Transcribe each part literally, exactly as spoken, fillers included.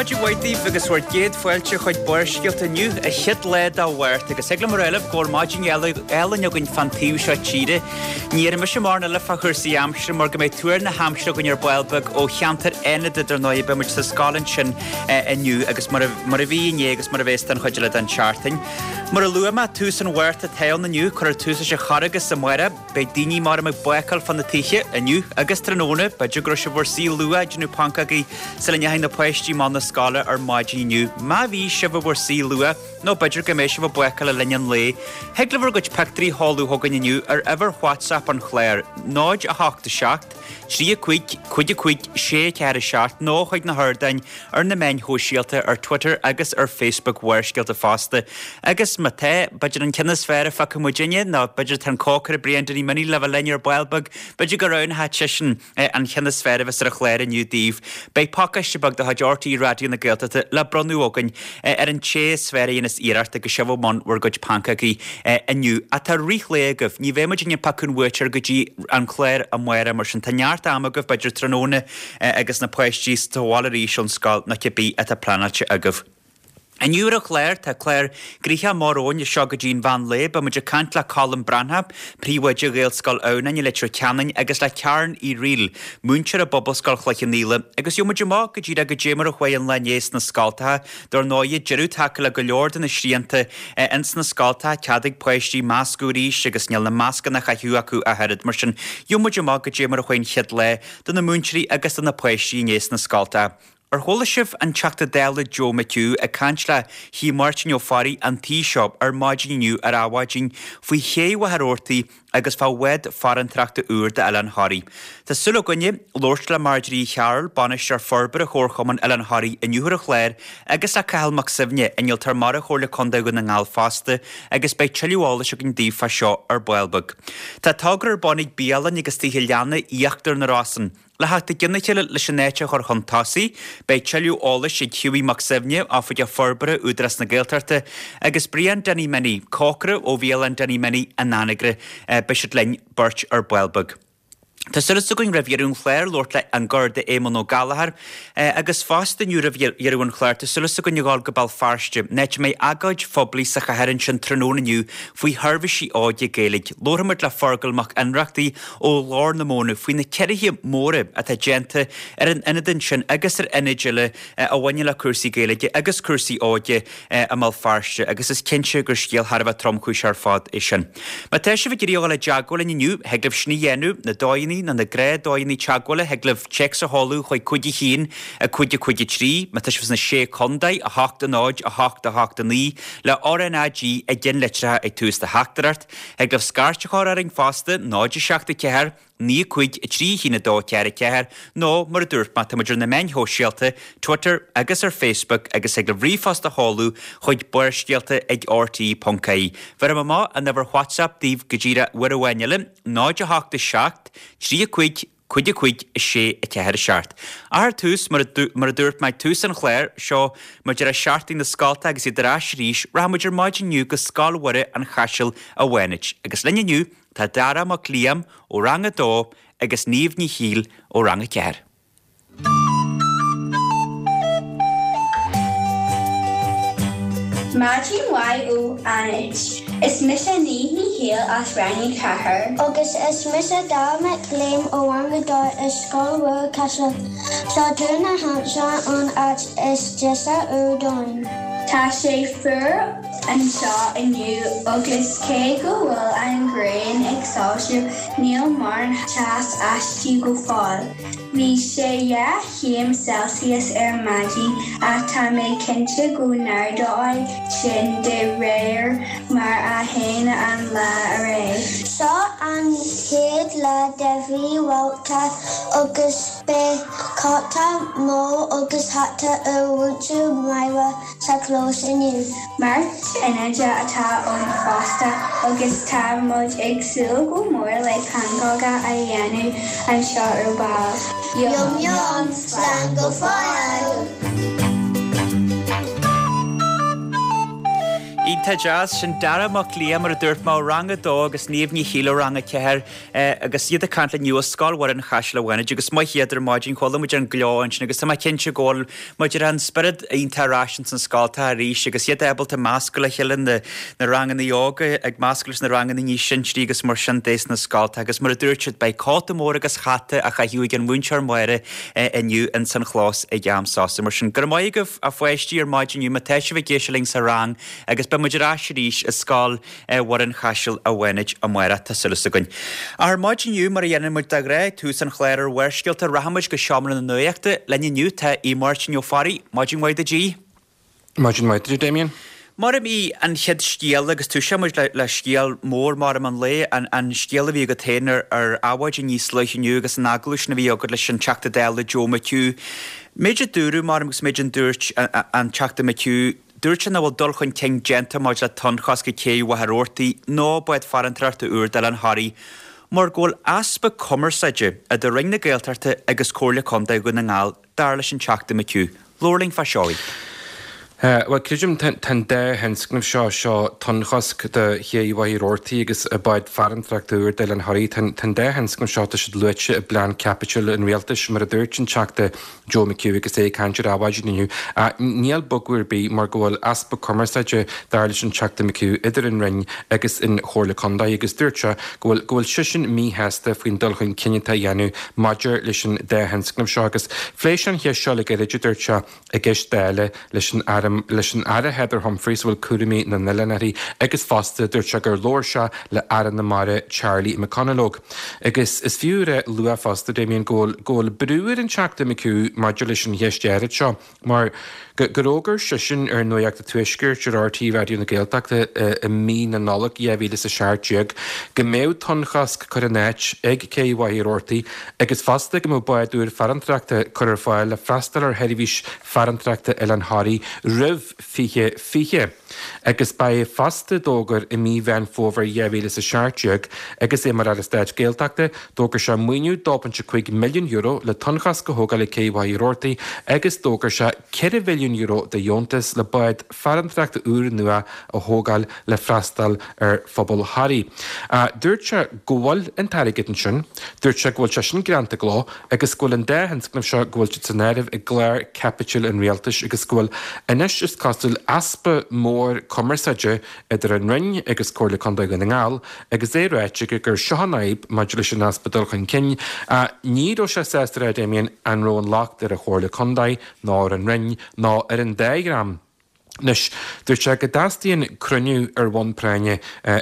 Maidin mhaith daoibh agus bhur gcéad fáilte chuig Barrscéalta inniu, an chéad lá de Mhárta, agus thig liom a rá libh go bhfuil maidin álainn againn fán taobh seo tíre. Ní dhéarfaidh mise mórán eile fá chúrsaí aimsire mar go mbeidh tuar na haimsire againn ar ball beag ó cheantar Fhánada dar ndóigh, beidh muid sa scoil ansin inniu agus mar a bhí inné agus mar a bheas don chuid eile den tseachtain. Mar a luaigh mé, tús an Mhárta atá ann inniu, cuirfear tús leis an Charghas amárach. Beidh daoine maram ag bácáil fá na tithe inniu agus tráthnóna, b'fhéidir go raibh sibh bhur suí luath ag déanamh pancógaí sula ndeachaigh na páistí amach na scoile ar maidin inniu. Má bhí sibh i bhur suí luath, nó b'fhéidir go mbeidh sibh ag bácáil le linn an lae, thig libh bhur gcuid pictiúirí a sheoladh chugainn inniu ar uimhir WhatsApp an chláir, náid a hocht a seacht, trí a cúig, cúig a cúig, sé ceathair a seacht nó chuig na hardáin ar na meáin shóisialta ar Twitter agus ar Facebook Bharrscéalta fosta. Agus má tá, b'fhéidir an ceann is fearr a phioc muidinne, nó b'fhéidir tá an cócaire Brian Danny Minnie le bheith linn ar ball beag, b'fhéidir go roghnódh seisean an ceann is fearr a bheas ar an chlár inniu daoibh. Beidh pacáiste beag de chuid RTÉ Raidió na Gaeltachta le bronnadh againn ar an té is fearr a dhéanas iarracht agus sibh i mbun bhur gcuid pancógaí inniu. Ach tá rith lae agaibh, ní bheidh muidinne ag piocadh an bhuaiteoir go dtí an clár amárach mar sin tá neart ama agaibh, b'fhéidir tráthnóna agus na páistí sa bhaile arís ón scoil nó cibé atá pleanáilte agaibh. Inniu ar an chlár, tá clár gnoitheach mór romhainn as seo go dtí an mheán lae. Beidh muid ag caint le Colm Breathnach, príomhoide Ghaelscoil Adhamhnáin i Leitir Ceanainn agus le Karen Uí Fhrighil, múinteoir i bPobalscoil Chloich Cheann Fhaola, agus gheobhaidh muid amach go díreach goidé mar a chuaigh an lá inné sna scoltacha. Dar ndóighe, deireadh tagtha le go leor de na srianta ins na scoltacha, cead ag páistí meascadh arís agus níl na mascanna á chaitheamh acu ach oiread. Mar sin, gheobhaidh muid amach goidé mar a chuaigh an chéad lá do na múinteoirí agus do na páistí inné sna scoltacha. Ar chuala sibh an Teachta Dála Joe McHugh ag caint le hAodh Máirtín Ó Fearraigh an tí seo ar maidin inniu ar Adhmhaidin faoi ché Mhachaire Rabhartaigh agus fá bhád farantóireachta úr d'Oileán Thoraí? Tá súil againne labhairt le Marjorie Uí Chearúil, Bainisteoir Forbartha Chomharchumann Oileán Thoraí inniu ar an chlár agus le Cathal Mac Suibhne, Innealtóir Mara Chomhairle Contae Dhún na nGall fosta agus beidh tuilleadh eolais againn daoibh fá seo ar ball beag. Tá togra ar bun ag bialanna agus tithe leanna Íochtar na Rosann. Le theacht i gcionn a chéile leis an áit a chur chun tosaigh, beidh tuilleadh eolais ag Hughie Mac Suibhne, Oifigeach Forbartha Údarás na Gaeltachta, agus Brian Danny Minnie, cócaire ó Bhialann Danny Minnie in Anagaire. Beidh siad linn beirt ar ball beag. Tá súil againn roimh dheireadh an chláir labhairt le an Garda Éamonn Ó Gallchóir agus fosta inniu roimh dheireadh an chláir tá súil againn a ghabháil go Béal Feirste, an áit a mbeidh agóid phoiblí sa chathair ansin tráthnóna inniu faoi sheirbhísí óige Gaeilge. Labharfaidh muid le Fergal Mac Ionnrachtaigh ó Ghlór na Móna faoi na ciorruithe móra atá déanta ar an ionad ansin agus ar ionaid eile a bhaineann le cúrsaí Gaeilge agus cúrsaí óige i mBéal Feirste agus is cinnte gur scéal thar a bheith tromchúiseach ar fad é sin. Má tá sibh ag iarraidh a dhul i dteagmháil linn inniu, thig libh sin a dhéanamh, na dóigheanna nó na gnáthdhóigheanna teagmhála, thig libh téacs a sheoladh chuig cúig a haon, a cúig a cúig a trí, má tá sibh sna Sé Chontae, a hocht a náid, a hocht a hocht a naoi, le RNAG i gceannlitreacha ag tús do theachtaireacht. Thig libh scairt a chur orainn fosta, náid a seacht a ceathair, naoi a cúig a trí a haon a dó ceathair a ceathair, nó mar a dúirt mé, tá muid ar na meáin shóisialta, Twitter agus ar Facebook, agus thig libh ríomhphost a sheoladh chuig barrscéalta ag rte ponc ie. Bhéarfaidh mé amach an uimhir WhatsApp daoibh go díreach uair amháin eile, náid a hocht a seacht, trí a cúig, cúig a cúig, a sé, a ceathair, a seacht. Ach ar tús, mar a dúirt mé ag tús an chláir seo, mar deireadh seachtaine na scolta agus iad ar ais arís, rachaidh muid ar maidin inniu go Scoil Mhuire an Chaisil i bhFánaid. Agus linn inniu tá Dara Mac Liam ó Rang a dó agus Niamh Ní Shiail ó Rang a ceathair. Maidin mhaith ó Fhánaid. Is mise Niamh Ní Shiail as Rang a Ceathair. Agus is mise Dara Mac Liam ó Rang a Dó i Scoil Mhuire Caiseal. Seo tuar na haimsire an áit is deise ar domhan. Tá sé fuar anseo inniu agus cé go bhfuil an ghrian ag soilsiú níl mórán teas aisti go fóill. Bhí sé dhá chéim Celsius ar maidin ach tá mé cinnte go n-ardóidh sin de réir mar a théann an lá ar aghaidh. Seo an chéad lá de mhí Mhárta agus beidh cóta mór agus hata ar mhúinteoir Máire sa chlós inniu. Máirt Fhánaide atá ann fosta agus tá muid ag súil go mór le pancóga a dhéanamh anseo ar ball. Yum yum! Slán go fóill! Iontach deas sin Dara Mac Liam mar a dúirt mé ó rang a dó agus Niamh Ní Shíle ó rang a ceathair agus iad ag caint linn inniu ó Scoil Mhuire an Chaisil an Bhánait agus maith iad ar maidin chuala muid an gleo ansin agus tá mé cinnte go bhfuil muid ar an spiorad iontach ar ais ins an scoil tá arís agus iad ábalta meascadh le chéile na na ranganna óga ag meascadh leis na ranganna níos sinsearaí agus mar sin de sna scolta agus mar a dúirt siad beidh cóta mór agus hata á chaitheamh ag an mhúinteoir Máire inniu ins an chlós ag am sosa mar sin. Go raibh maith agaibh a pháistí ar maidin inniu má tá sibh ag éisteacht linn sa rang agus beidh muid ar ais arís i Scoil Mhuire an Chaisil a Bhánait amárach tá súil againn. Ar maidin inniu mar a dhéanann muid de ghnáth tús an chláir ar Bharrscéalta rachaimid go seomra na nuachta linn inniu tá Aodh Máirtín Ó Fearraigh, maidin mhaith duit Aodh. Maidin mhaith duit Damien. Mar a bhí an chéad scéal agus toiseoidh muid le, le scéal mór mar an lae an, an scéal a bhí agat féin ar, ar Adhmhaidin níos luaithe inniu agus an agallamh sin a bhí agat leis an Teachta Dála Joe McHugh. Méid a dúradh mar agus méid an dúirt an Teachta McHugh Dúirt sé nach bhfuil dul chun cinn déanta maidir le tonnchosc ag cé Mhachaire Rabhartaigh nó bád farantóireachta úr d'Oileán Thoraí, mar go bhfuil easpa cumarsáide idir Roinn na Gaeltachta agus Comhairle Contae Dhún na nGall dar leis an Teachta McHugh. Labhair linn fá seo. Bhuel creidim tá an dá thionscnamh seo seo tonnchosc do ché Mhachaire Rabhartaigh agus bád farantóireachta úr d'Oileán Thoraí. Tá an dá thionscnamh seo tá siad luaite i bplean caipitil an rialtais mar a dúirt an Teachta Joe McHugh agus é ag caint ar Adhmhaidin inniu. Níl bogadh ar bith mar go bhfuil easpa cumarsáide dar leis an Teachta McHugh idir an Roinn agus an Chomhairle Contae agus dúirt sé go bhfuil go bhfuil seisean míshásta faoin dul chun cinn atá á dhéanamh maidir leis an dá thionscnamh seo agus phléigh sé an cheist seo le gairid dúirt sé i gceist Dála leis an Aire leis an Aire Heather Humphreys bhfuil cúraimí na n-oileán uirthi agus fosta dúirt sé gur labhair sé le Aire na Mara Charlie McConalogue. Agus is fiú a lua fosta Damien go bhfuil go bhfuil brú ar an Teachta McHugh maidir leis an cheist áirid seo mar gur fhógair seisean ar Nuacht an Tuaiscirt ar RTÉ Raidió na Gaeltachta i mí na Nollag dhá mhíle is a seacht déag go mbeadh tonnchosc curtha in áit ag cé Mhachaire Rabhartaigh agus fosta go mbeadh bád úr farantóireachta curtha ar fáil le freastal ar sheirbhís farantóireachta Oileán Thoraí roimh fiche fiche. Agus ba é fosta d'fhógair i mí Mheán Fómhair dhá mhíle is a seacht déag agus é mar Aire Stáit Gaeltachta d'fhógair sé maoiniú dó pointe cúig milliún euro le tonnchosc a thógáil ag cé Mhachaire Rabhartaigh agus d'fhógair sé ceithre mhilliún euro de dheontas le bád farantóireachta úr nua a thógáil le freastal ar phobal Thoraí. Dúirt sé go bhfuil an t-airgead ansin, dúirt sé go bhfuil sé sin greanta i gcló agus go bhfuil an dá thionscnamh seo go bhfuil siad san áireamh i gclár caipitil an rialtais agus go bhfuil anois is cosúil easpa mór cumarsáide idir an Roinn agus Comhairle Contae Dhún na nGall agus é ráite gur seo an fhadhb maidir leis an easpa dul chun cinn ní raibh sé sásta a rá Damien an raibh an locht ar an Chomhairle Contae nó ar an Roinn nó ar an dá dhream. Anois, dúirt sé go dteastaíonn cruinniú ar bhonn práinne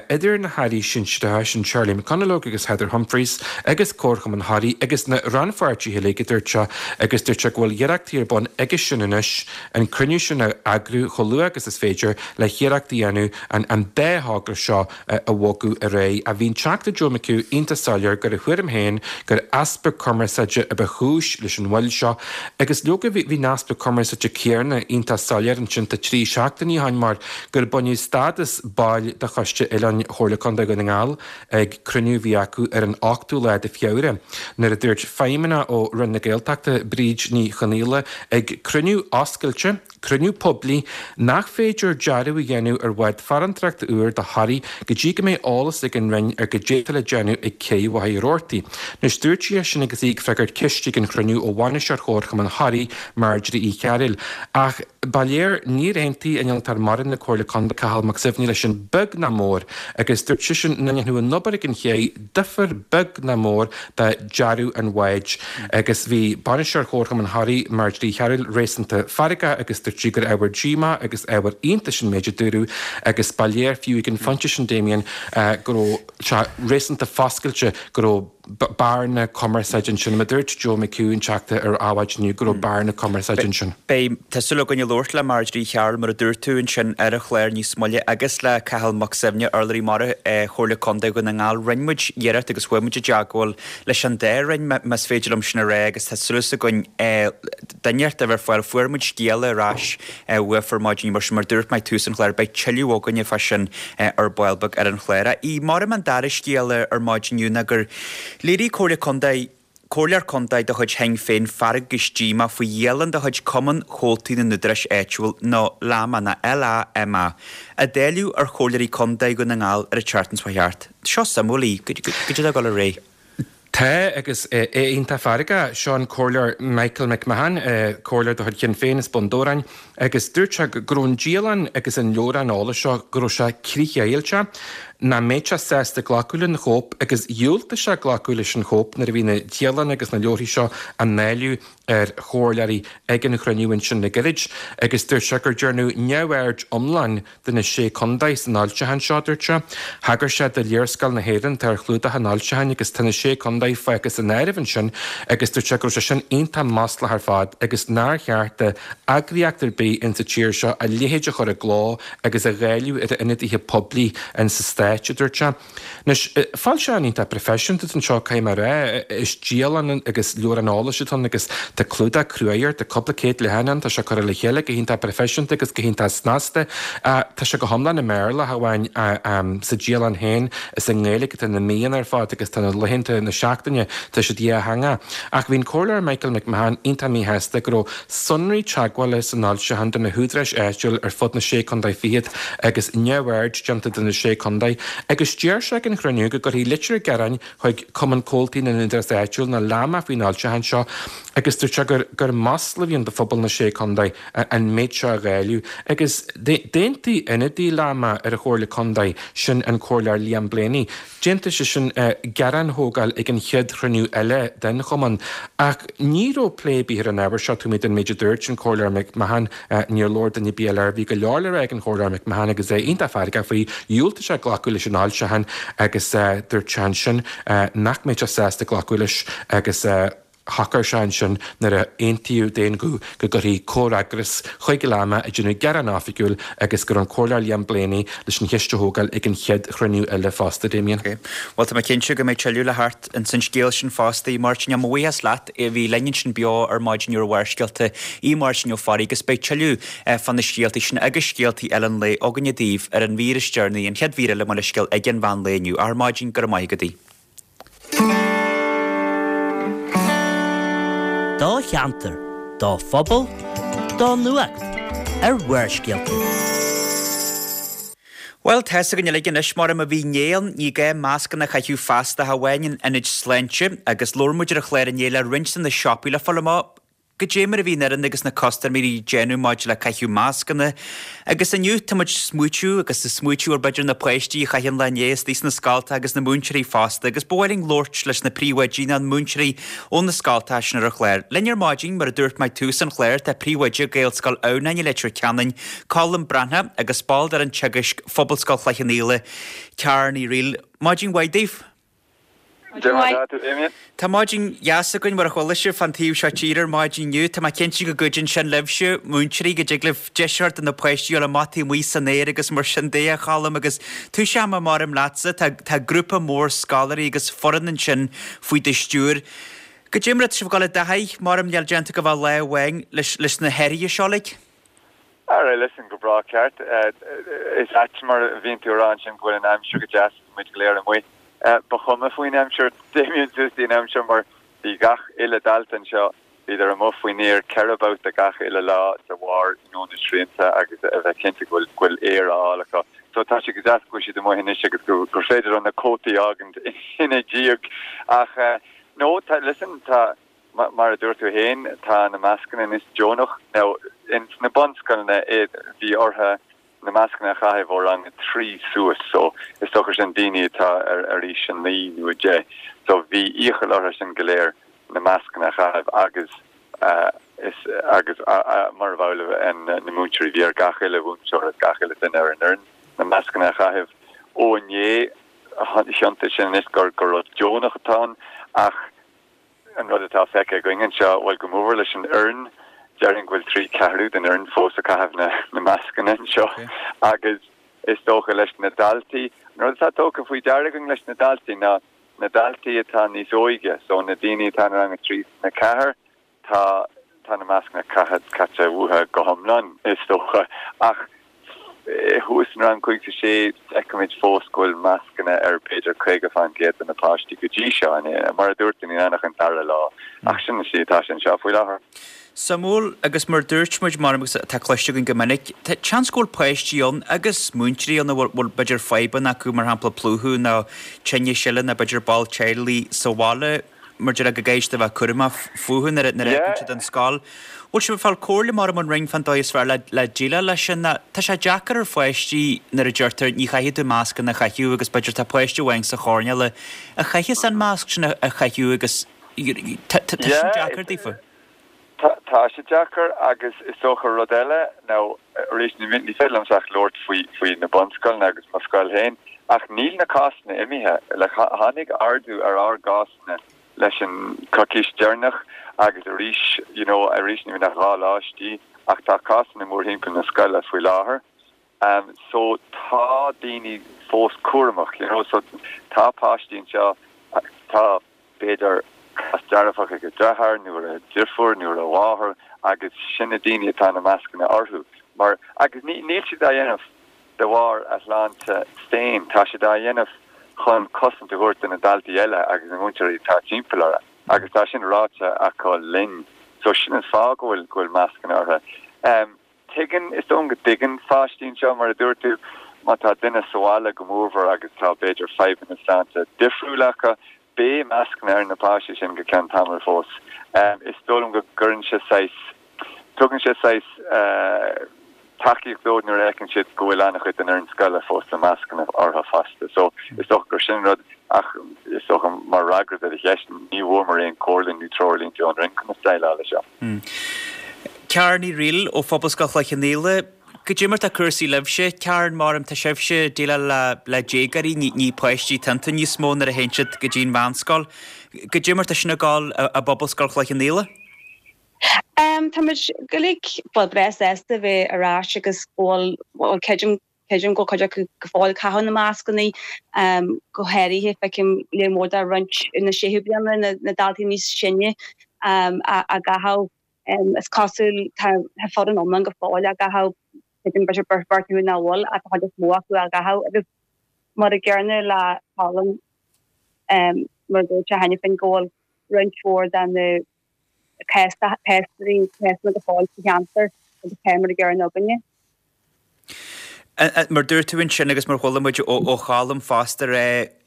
idir na hairí sinsearacha sin Charlie McConalogue agus Heather Humphreys agus Comharchumann Thoraí agus na rannpháirtithe uilig a dúirt sé agus dúirt sé go bhfuil iarrachtaí ar bun aige sin anois an cruinniú sin a eagrú chomh luath agus is féidir le hiarracht a dhéanamh an an dá thogra seo a bhogadh ar aghaidh. A bhí an Teachta Joe McHugh iontach soiléir gur a thuairim féin gur easpa cumarsáide a ba chúis leis an mhoill seo agus leoga bhí an easpa cumarsáide céanna iontach soiléir ansin tá trí seachtainí ó shin mar gur baineadh stádas baill de Choiste Oileáin Chomhairle Contae Dhún na nGall ag cruinniú a bhí acu ar an ochtú lá de Feabhra nuair a dúirt feidhmeannach ó Roinn na Gaeltachta Bríd Ní Chonaola ag cruinniú oscailte cruinniú poiblí nach féidir dearadh a dhéanamh ar bhád farantóireachta úr do Thoraí go dtí go mbeidh eolas ag an Roinn ar goidé atá le déanamh ag cé Mhachaire Rabhartaigh. Anois dúirt sí é sin agus í ag freagairt ceist ag an chruinniú ó bhainisteoir Chomharchumann Thoraí Marjorie Uí Chearúil. Ach ba léir níor aontaigh innealtóir mara na Comhairle Contae Cathal Mac Suibhne leis sin beag ná mór agus dúirt seisean nach ndéanfadh an obair ag an ché difear beag ná mór do dearadh an bháid. Agus bhí bainisteoir Chomharchumann Thoraí Marjorie Uí Chearúil réasúnta feargach agus dúirt sí gur ábhar díomá agus ábhar iontais an méid a dúradh agus ba léir fiú ag an phointe sin Damien go raibh sé réasúnta foscailte go raibh bearna cumarsáide ansin. Mar dúirt Joe McHugh an Teachta ar Adhmhaidin inniu go raibh bearna cumarsáide ansin. Beidh tá súil againn labhairt le Marjorie Uí Chearúil mar a dúirt tú ansin ar an chlár níos moille agus le Cathal Mac Suibhne urlabhraí mara Chomhairle Contae Dhún na nGall. Rinne muid iarracht agus chuaigh muid i dteagmháil leis an dá roinn más féidir liom sin a rá agus tá súil againn duine a bheith ar fáil fuair muid scéala ar ais uafa ar maidin mar sin mar dúirt mé tús an chláir beidh tuilleadh againne fá sin ar ball beag ar an chlár. I mar an dara scéal ar maidin ná gur léirigh Comhairle Contae Comhairleoir Contae de chuid Shinn Féin feargach agus díomách faoi dhialann de chuid Cumann Chomhaltaí na nÚdarás Áitiúil, nó LAMA nó LAMA, a dáileadh ar Chomhairleoirí Contae Dhún na nGall ar an tseachtain seo thart. Seo suimiúil í. Goidé atá ag dul ar aghaidh? Tá, agus é iontach feargach. Seo an Comhairleoir Michael McMahon, Comhairleoir de chuid Shinn Féin as Bun Dobhráin, agus dúirt sé go raibh an dialann agus an leabhrán eolais seo, go raibh sé críochdheighilte, nach mbeadh sé sásta glacadh lena chóip agus dhiúltaigh sé glacadh leis an chóip nuair a bhí na dialanna agus na leabharthaí seo á ndáileadh ar chomhairleoirí ag an chruinniú ansin le gairid agus dúirt sé gur déanadh neamhaird iomlán de na Sé Contae san fhoilseachán seo, dúirt sé. Thagair sé do léarscáil na hÉireann atá ar chlúdach an fhoilseacháin agus tá na Sé Contae fágtha as an áireamh ansin agus dúirt sé go raibh sé sin iontach maslach ar fad agus nár cheart d'eagraíocht ar bith insa tír seo a leithéid a chur i gcló agus a dháileadh ar a ionadaithe poiblí insa Stáit, a dúirt sé. Anois, foilseachán iontach proifisiúnta atá anseo, caithfidh mé a rá. Is dialann agus leabhrán eolais atá ann agus tá clúdach cruaidh air, tá cúpla céad leathanach ann, tá sé curtha le chéile go hiontach proifisiúnta agus go hiontach snasta. Tá sé go hiomlán i mBéarla, ach amháin sa dialann féin, is i nGaeilge atá na míonna ar fad agus tá na laethanta na seachtaine, tá siad dhátheangach. Ach bhí an Comhairleoir Michael McMahon iontach míshásta go raibh sonraí teagmhála san fhoilseachán do na húdaráis áitiúil ar fud na Sé Contae Fichead agus neamhaird déanta de na Sé Contae agus deir sé ag an chruinniú go gcuirfí litir gearáin chuig Cumann Comhaltaí na nÚdarás Áitiúil nó LAMA faoin fhoilseachán seo agus dúirt sé gur gur masla a bhí ann do phobal na Sé Contae an méid seo a dháileadh agus d'aontaigh ionadaí LAMA ar an Chomhairle Contae, sin an Comhairleoir Liam Blaney, d'aontaigh seisean gearán a thógáil ag an chéad chruinniú eile den chumann. Ach ní raibh plé ar bith ar an ábhar seo taobh amuigh den méid a dúirt an Comhairleoir McMahon. Níor labhair duine ar bith eile air. Bhí go leor le rá ag an Chomhairleoir McMahon agus é iontach feargach faoi. Dhiúltaigh sé glacadh leis an fhoilseachán agus dúirt sé ansin nach mbeadh sé sásta glacadh leis agus shocair sé ansin nuair a aontaíodh d'aon ghuth go gcuirfí comhfhreagras chuig LAMA ag déanamh gearán oifigiúil agus go raibh an Comhairleoir Liam Blaney leis an cheist a thógáil ag an chéad chruinniú eile fosta, Damien. Ok. Bhuel, tá mé cinnte go mbeidh tuilleadh le theacht ins an scéal sin fosta, a Mháirtín. Mo bhuíochas leat a bhí linn ansin beo ar maidin ar Bharrscéalta, a Mháirtín Ó Fearraigh, agus beidh tuilleadh fá na scéaltaí sin agus scéaltaí eile an lae againne daoibh ar an mhír is deireanaí, an chéad mhír eile mo leithscéal, ag an mheán lae inniu. Ar maidin, go raibh maith agat. Do cheantar, do phobal, do nuacht ar Bharrscéalta. Bhuel, tá's againn uilig anois, mar má bhí inné ann, ní gá mascanna a chaitheamh feasta ach amháin in ionaid sláinte, agus labhair muid ar an chlár inné le roinnt de na siopaí le fáil amach goidé mar a bhí an fhoireann agus na custaiméirí ag déanamh maidir le caitheamh mascanna. Agus inniu tá muid ag smaoitiú agus ag smaoitiú ar b'fhéidir na páistí a chaith an lá inné istigh sna scoltacha agus na múinteoirí fosta agus ba mhaith linn labhairt leis na príomhoidí nó na múinteoirí ó na scoltacha sin ar an chlár. Linn ar maidin, mar a dúirt mé ag tús an chláir, tá príomhoide Ghaelscoil Adhamhnáin i Leitir Ceanainn, Colm Breathnach, agus ball d'fhoireann teagaisc Phobalscoil Chloich Cheann Fhaola, Ciara Ní Fhrighil. Maidin mhaith daoibh. Tá maidin dheas againn mar a chuala sibh fán taobh seo tíre ar maidin inniu. Tá mé cinnte go gcuidíonn sin libhse, múinteoirí, go dtig libh deis a thabhairt do na páistí dul amach taobh amuigh san aer agus mar sin de, a Choilm. Agus toiseoidh mé maram leatsa, tá tá grúpa mór scoláirí agus foireann ansin faoi do stiúir. Goidé mar atá sibh ag dul i dtaithí, maram níl déanta ach a bheith lá amháin leis leis na hathruithe seo uilig? Alright, listen, go breá ceart. Is ait mar a bhíonn tú a rá ansin go bhfuil an aimsir go deas agus muid go léir amuigh. Ba chuma faoin aimsir, Damien, suas dtí an am seo mar bhí gach uile dalta anseo, bhíodar amuigh faoin aer ceithre babhta gach uile lá de bharr you know na srianta agus a bheith cinnte go bhfuil go bhfuil aer á fháil acu. So tá sé go deas go bhfuil siad amuigh anois agus go gur féidir leo na cótaí a fhágaint ina ndiaidh. Ach no, tá, listen, tá, Mar a dúirt tú féin, tá na mascanna anois deonach. Now, ins na bunscoileanna, bhí orthu na mascanna a chaitheamh ó rang a trí suas, so is dócha sin daoine atá ar aois a naoi nó a deich. So bhí iachall orthu sin go léir na mascanna a chaitheamh agus is agus mar a bheadh na múinteoirí, bhí ar gach uile mhúinteoir agus gach uile duine ar an fhoireann na mascanna a chaitheamh. Ó inné, thiontaigh sin anois gur rud deonach atá ann ach An rud atá feicthe againn anseo, bhuel, go mór mhór leis an fhoireann, déarfainn go bhfuil trí ceathrú den fhoireann fós ag caitheamh na mascanna anseo agus is dócha leis na daltaí, an rud atá tugtha faoi deara againn leis na daltaí ná na daltaí atá níos óige, so na daoine atá in rang a trí is a ceathair, tá tá na mascanna caite caite uathu go hiomlán is dócha ach Thuas in rang cúig is sé, feicimid fós go bhfuil mascanna ar b'fhéidir caoga faoin gcéad de na páistí go dtí seo, mar a dúirt tú, níl ann ach an dara lá, ach sin an slí atá sé anseo faoi láthair. Suimiúil, agus mar a dúirt muid, mar agus atá cloiste againn go minic, tá seans go bhfuil páistí ann agus múinteoirí ann a bhfuil b'fhéidir fadhbanna acu, mar shampla plúchadh nó tinnis eile nó b'fhéidir ball teaghlaigh sa bhaile, mar deir go gcaithfidh siad a bheith cúramach fúthu nuair a fhágann siad an scoil. Bhfuil sibh ag fáil comhairle mar ón Roinn fán dóigh is fearr le déileáil leis sin? Tá sé deacair ar pháistí nuair a deirtear ní chaithfidh tú mascanna a chaitheamh agus b'fhéidir tá páiste amháin sa choirnéal a chaitheas an masc sin a chaitheamh agus tá sin deacair daofa. Tá sé deacair agus is dócha rud eile nó arís ní féidir liomsa ach labhairt faoi faoi na bunscoileanna agus mo scoil féin ach níl na cásanna imithe. Tháinig ardú ar ár gcásanna leis an coicís deireanach agus arís you know arís ní bhíonn ach dhá lá istigh ach tá cásanna mórthimpeall na scoile faoi láthair um so tá daoine fós cúramach you know so tá páistí anseo tá b'fhéidir cás dearfach ag a deartháir nó ar a deirfiúr nó ar a mháthair agus sin na daoine atá na mascanna orthu mar agus ní níl siad á dhéanamh de bharr a shláinte féin, tá siad á dhéanamh chun cosaint a thabhairt do na daltaí eile agus na múinteoirí atá timpeall orthu agus tá sin ráite acu linn. So sin an fáth go bhfuil go bhfuil mascanna orthu. Um, tuigeann, is dóigh go dtuigeann pháistí anseo, mar a dúirt tú, má tá duine sa bhaile go mórmhór agus tá b'fhéidir fadhbanna sláinte difriúla acu, beidh mascanna ar na páistí sin go ceann tamaill fós. Um, is dóigh liom go gcuireann sé saghas Tugann sé saghas tacaíocht dóibh nuair a fheiceann siad go bhfuil an-chuid den fhoireann scoile fós le mascanna orthu fosta. So is dócha gur sin rud ach is dócha mar fhreagra do do cheist, ní bhfuaireamar aon chomhairle nó treoirlínte ón Roinn conas déileáil leis seo. Karen Ní Fhrighil ó Phobalscoil Chloich Cheann Fhaola, Cad é mar tá cúrsaí libhse? Karen, Maram, tá sibhse ag déileáil le le déagóirí, ní ní páistí atá iontu níos mó nuair a théann siad go dtí an mheánscoil. Cad é mar tá sin ag dul i bPobalscoil Chloich Cheann Fhaola? Tá muid go uilig, bhuel, breá sásta bheith ar ais agus go bhfuil, bhuel, creidim, creidim go bhfuil cuid acu go fóill ag caitheamh na mascannaí, go háirithe feicim léar mór de roinnt na séú bliana, na, na daltaí níos sine á gcaitheamh. Is cosúil, tá, tá foireann iomlán go fóill á gcaitheamh, creidim b'fhéidir beirt, beirt acu nach bhfuil ach tá an chuid is mó acu á gcaitheamh agus mar a gcéanna le Colm, mar a dúirt sé cheana féin go bhfuil roinnt mhór de na cásanna go fóill sa cheantar agus tá mar a gcéanna againne. Mar dúirt tú ansin agus mar chuala muid ó Cholm fosta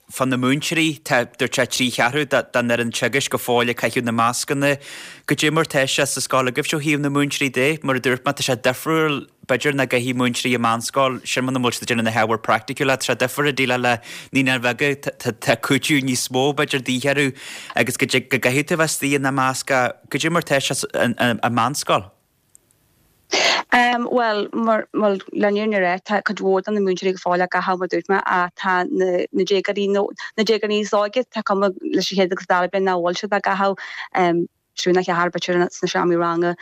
fá na múinteoirí, tá, dúirt sé trí cheathrú den fhoireann teagaisc go fóill ag caitheamh na mascanna. Goidé mar tá sé sa scoil agaibhse ó thaobh na múinteoirí de? Mar a dúirt mé, tá sé difriúil b'fhéidir ná go dtí múinteoirí i meánscoil, sin muna bhfuil siad ag déanamh na hábhair praiticiúla, tá sé difriúil ag déileáil le naíonáin bheaga, tá cúiteamh níos mó b'fhéidir de dhíth orthu agus go gcaithfidh tú a bheith istigh ina measc, goidé mar tá sé i meánscoil? Bhuel, mar, bhuel, le an fhírinne a rá, tá cuid mhór de na múinteoirí go fóill á gcaitheamh mar dúirt mé ach tá na, na déagóirí nó na déagóirí níos óige, tá cuma leis an chéad agus dara bliain nach bhfuil siad á gcaitheamh. triúr nó ceathrar b'fhéidir sna seomraí ranga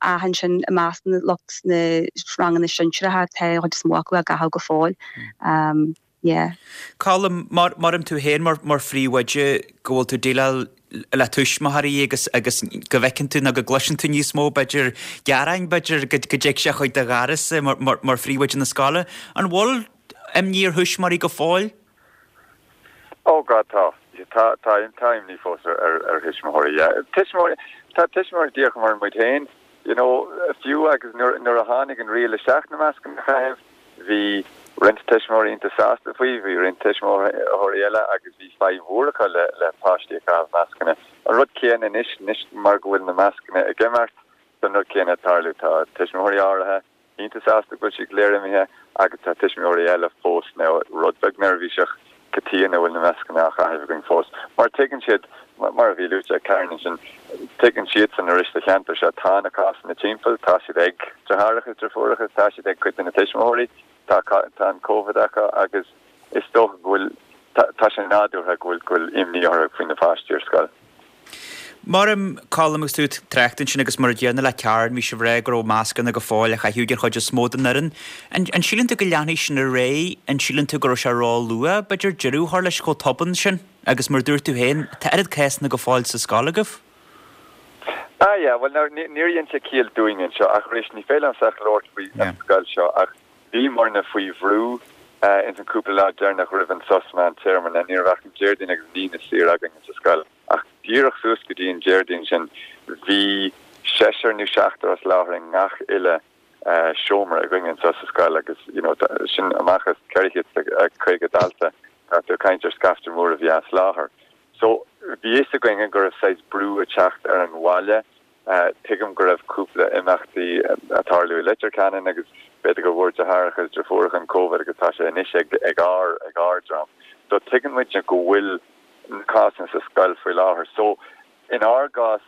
ach ansin i measc na lucht na ranganna sinsearacha tá an chuid is mó acu á gcaitheamh go fóill. Yeah. Colm, mar maram tú féin mar mar phríomhoide go bhfuil tú ag déileáil le tuismitheoirí agus agus go bhfeiceann tú nó go gcloiseann tú níos mó b'fhéidir gearáin b'fhéidir go go dtig sé chuig do dhoras-sa mar mar mar phríomhoide na scoile. An bhfuil imní ar thuismitheoirí go fóill? Oh God tá. Tá tá tá imní fós ar ar ar thuismitheoirí yeah. Tuismitheoirí tá tuismitheoirí díreach mar muid féin you know fiú agus nuair nuair a tháinig an riail isteach na mascanna a chaitheamh bhí roinnt tuismitheoirí iontach sásta faoi, bhí roinnt tuismitheoirí eile agus bhí fadhb mhór acu le le páistí ag caitheamh mascanna. An rud céanna anois, anois mar go bhfuil na mascanna ag imeacht, tá an rud céanna ag tarlú. Tá tuismitheoirí áirithe iontach sásta go bhfuil siad go léir imithe agus tá tuismitheoirí eile fós nó rud beag neirbhíseach cad chuige a bhfuil na mascanna á chaitheamh againn fós. Mar tuigeann siad, mar a bhí luaite ag Karen ansin, tuigeann siadsan arís sa cheantar seo, tá na cásanna timpeall, tá siad ag deartháireacha, deirfiúracha, tá siad ag cuid de na tuismitheoirí, tá tá an Covid acu agus is dócha go bhfuil, tá sé nádúrtha go bhfuil go bhfuil imní orthu faoi na páistí ar scoil. Maram, Colm, agus tú ag trácht ansin agus mar a gcéanna le Karen, bhí sibh ag rá go raibh mascanna go fóill á chaitheamh ag an chuid is mó den fhoireann. An an síleann tú go leanfaidh sin ar aghaidh? An síleann tú go raibh sé ró-luath, b'fhéidir, deireadh a chur leis chomh tobann sin? Agus mar a dúirt tú féin, tá oiread cásanna go fóill sa scoil agaibh. Ah yeah, bhuel now, níor dhein sé ciall dúinn anseo ach arís ní féidir liomsa ach labhairt faoi an scoil seo ach Bhíomarna faoi bhrú ins an cúpla lá deireanach roimh an sos meán téarma na ní raibh ach an Déardaoin agus an Aoine saor againn sa scoil. Ach díreach suas go dtí an Déardaoin sin bhí seisear nó seachtar as láthair i ngach uile seomra againn anseo sa scoil agus you know sin amach as ceithre chéad caoga dalta tá tú ag caint ar scaifte mór a bhí as láthair. So bhí fhios againn go raibh saghas brú ag teacht ar an bhaile. Tuigim go raibh cúpla imeachtaí ag tarlú i Leitir Ceanainn agus b'fhéidir go bhfuair deartháireacha is deirfiúracha an Covid agus tá sé anois ag ag ár ag ár dream. So tuigeann muid go bhfuil na cásanna sa scoil faoi láthair. So in ár gcás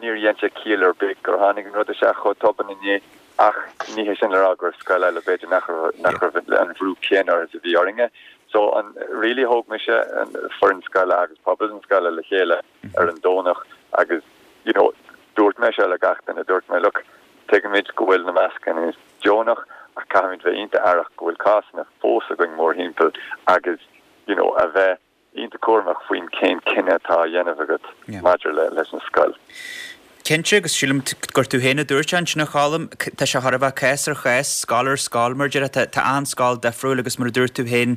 níor dhein sé ciall ar bith gur tháinig an rud isteach chomh tobann inné ach ní hé sin le rá gur scoil eile b'fhéidir nach nach raibh an bhrú céanna orthu is a bhí orainne. So an really thóg mise an foireann scoile agus pobal an scoile le chéile ar an Domhnach agus you know dúirt mé seo le gach duine dúirt mé look tuigimid go bhfuil na mascanna deonach ach caithfimid bheith iontach aireach go bhfuil cásanna fós againn mórthimpeall agus you know a bheith iontach cúramach faoin cén cinneadh atá á dhéanamh agat maidir le leis an scoil. Cinnte, agus sílim gur tú féin a dúirt ansin a Cholm, tá sé thar a bheith cás ar chás, scoil ar scoil mar a déarfá, tá achan scoil difriúil agus mar a dúirt tú féin,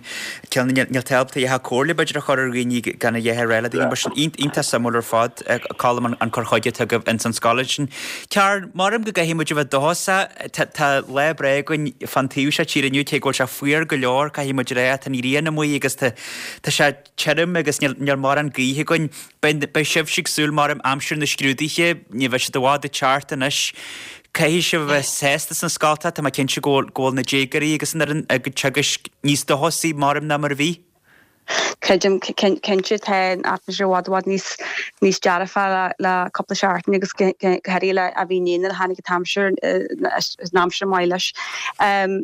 níl tú ábalta a dhath comhairle b'fhéidir a chur ar dhaoine gan a dhath a rá le daoine mar sin. Iontach suimiúil ar fad, Colm, an cur chuige atá agaibh ins an scoil ansin. Karen, maram go gcaithfidh muid a bheith dóchasach, tá lá breá againn fán taobh seo tíre inniu, cé go bhfuil sé fuar go leor, caithfidh muid a rá, tá an ghrian amuigh agus tá sé tirim agus níl mórán gaoithe againn. Beidh sibhse ag súil maram aimsir na scrúduithe, ní bheidh siad i bhfad ag teacht anois. Caithfidh sibh a bheith sásta sna scoltacha, tá mé cinnte go bhfuil na déagóirí agus an fhoireann ag teagaisc níos dóchasaí maram ná mar a bhí. Creidim cinnte tá an atmaisféar i bhfad i bhfad níos níos dearfa le le cúpla seachtain agus go háirithe le a bhí inné nuair a tháinig an t-aimsir an aimsir maith leis.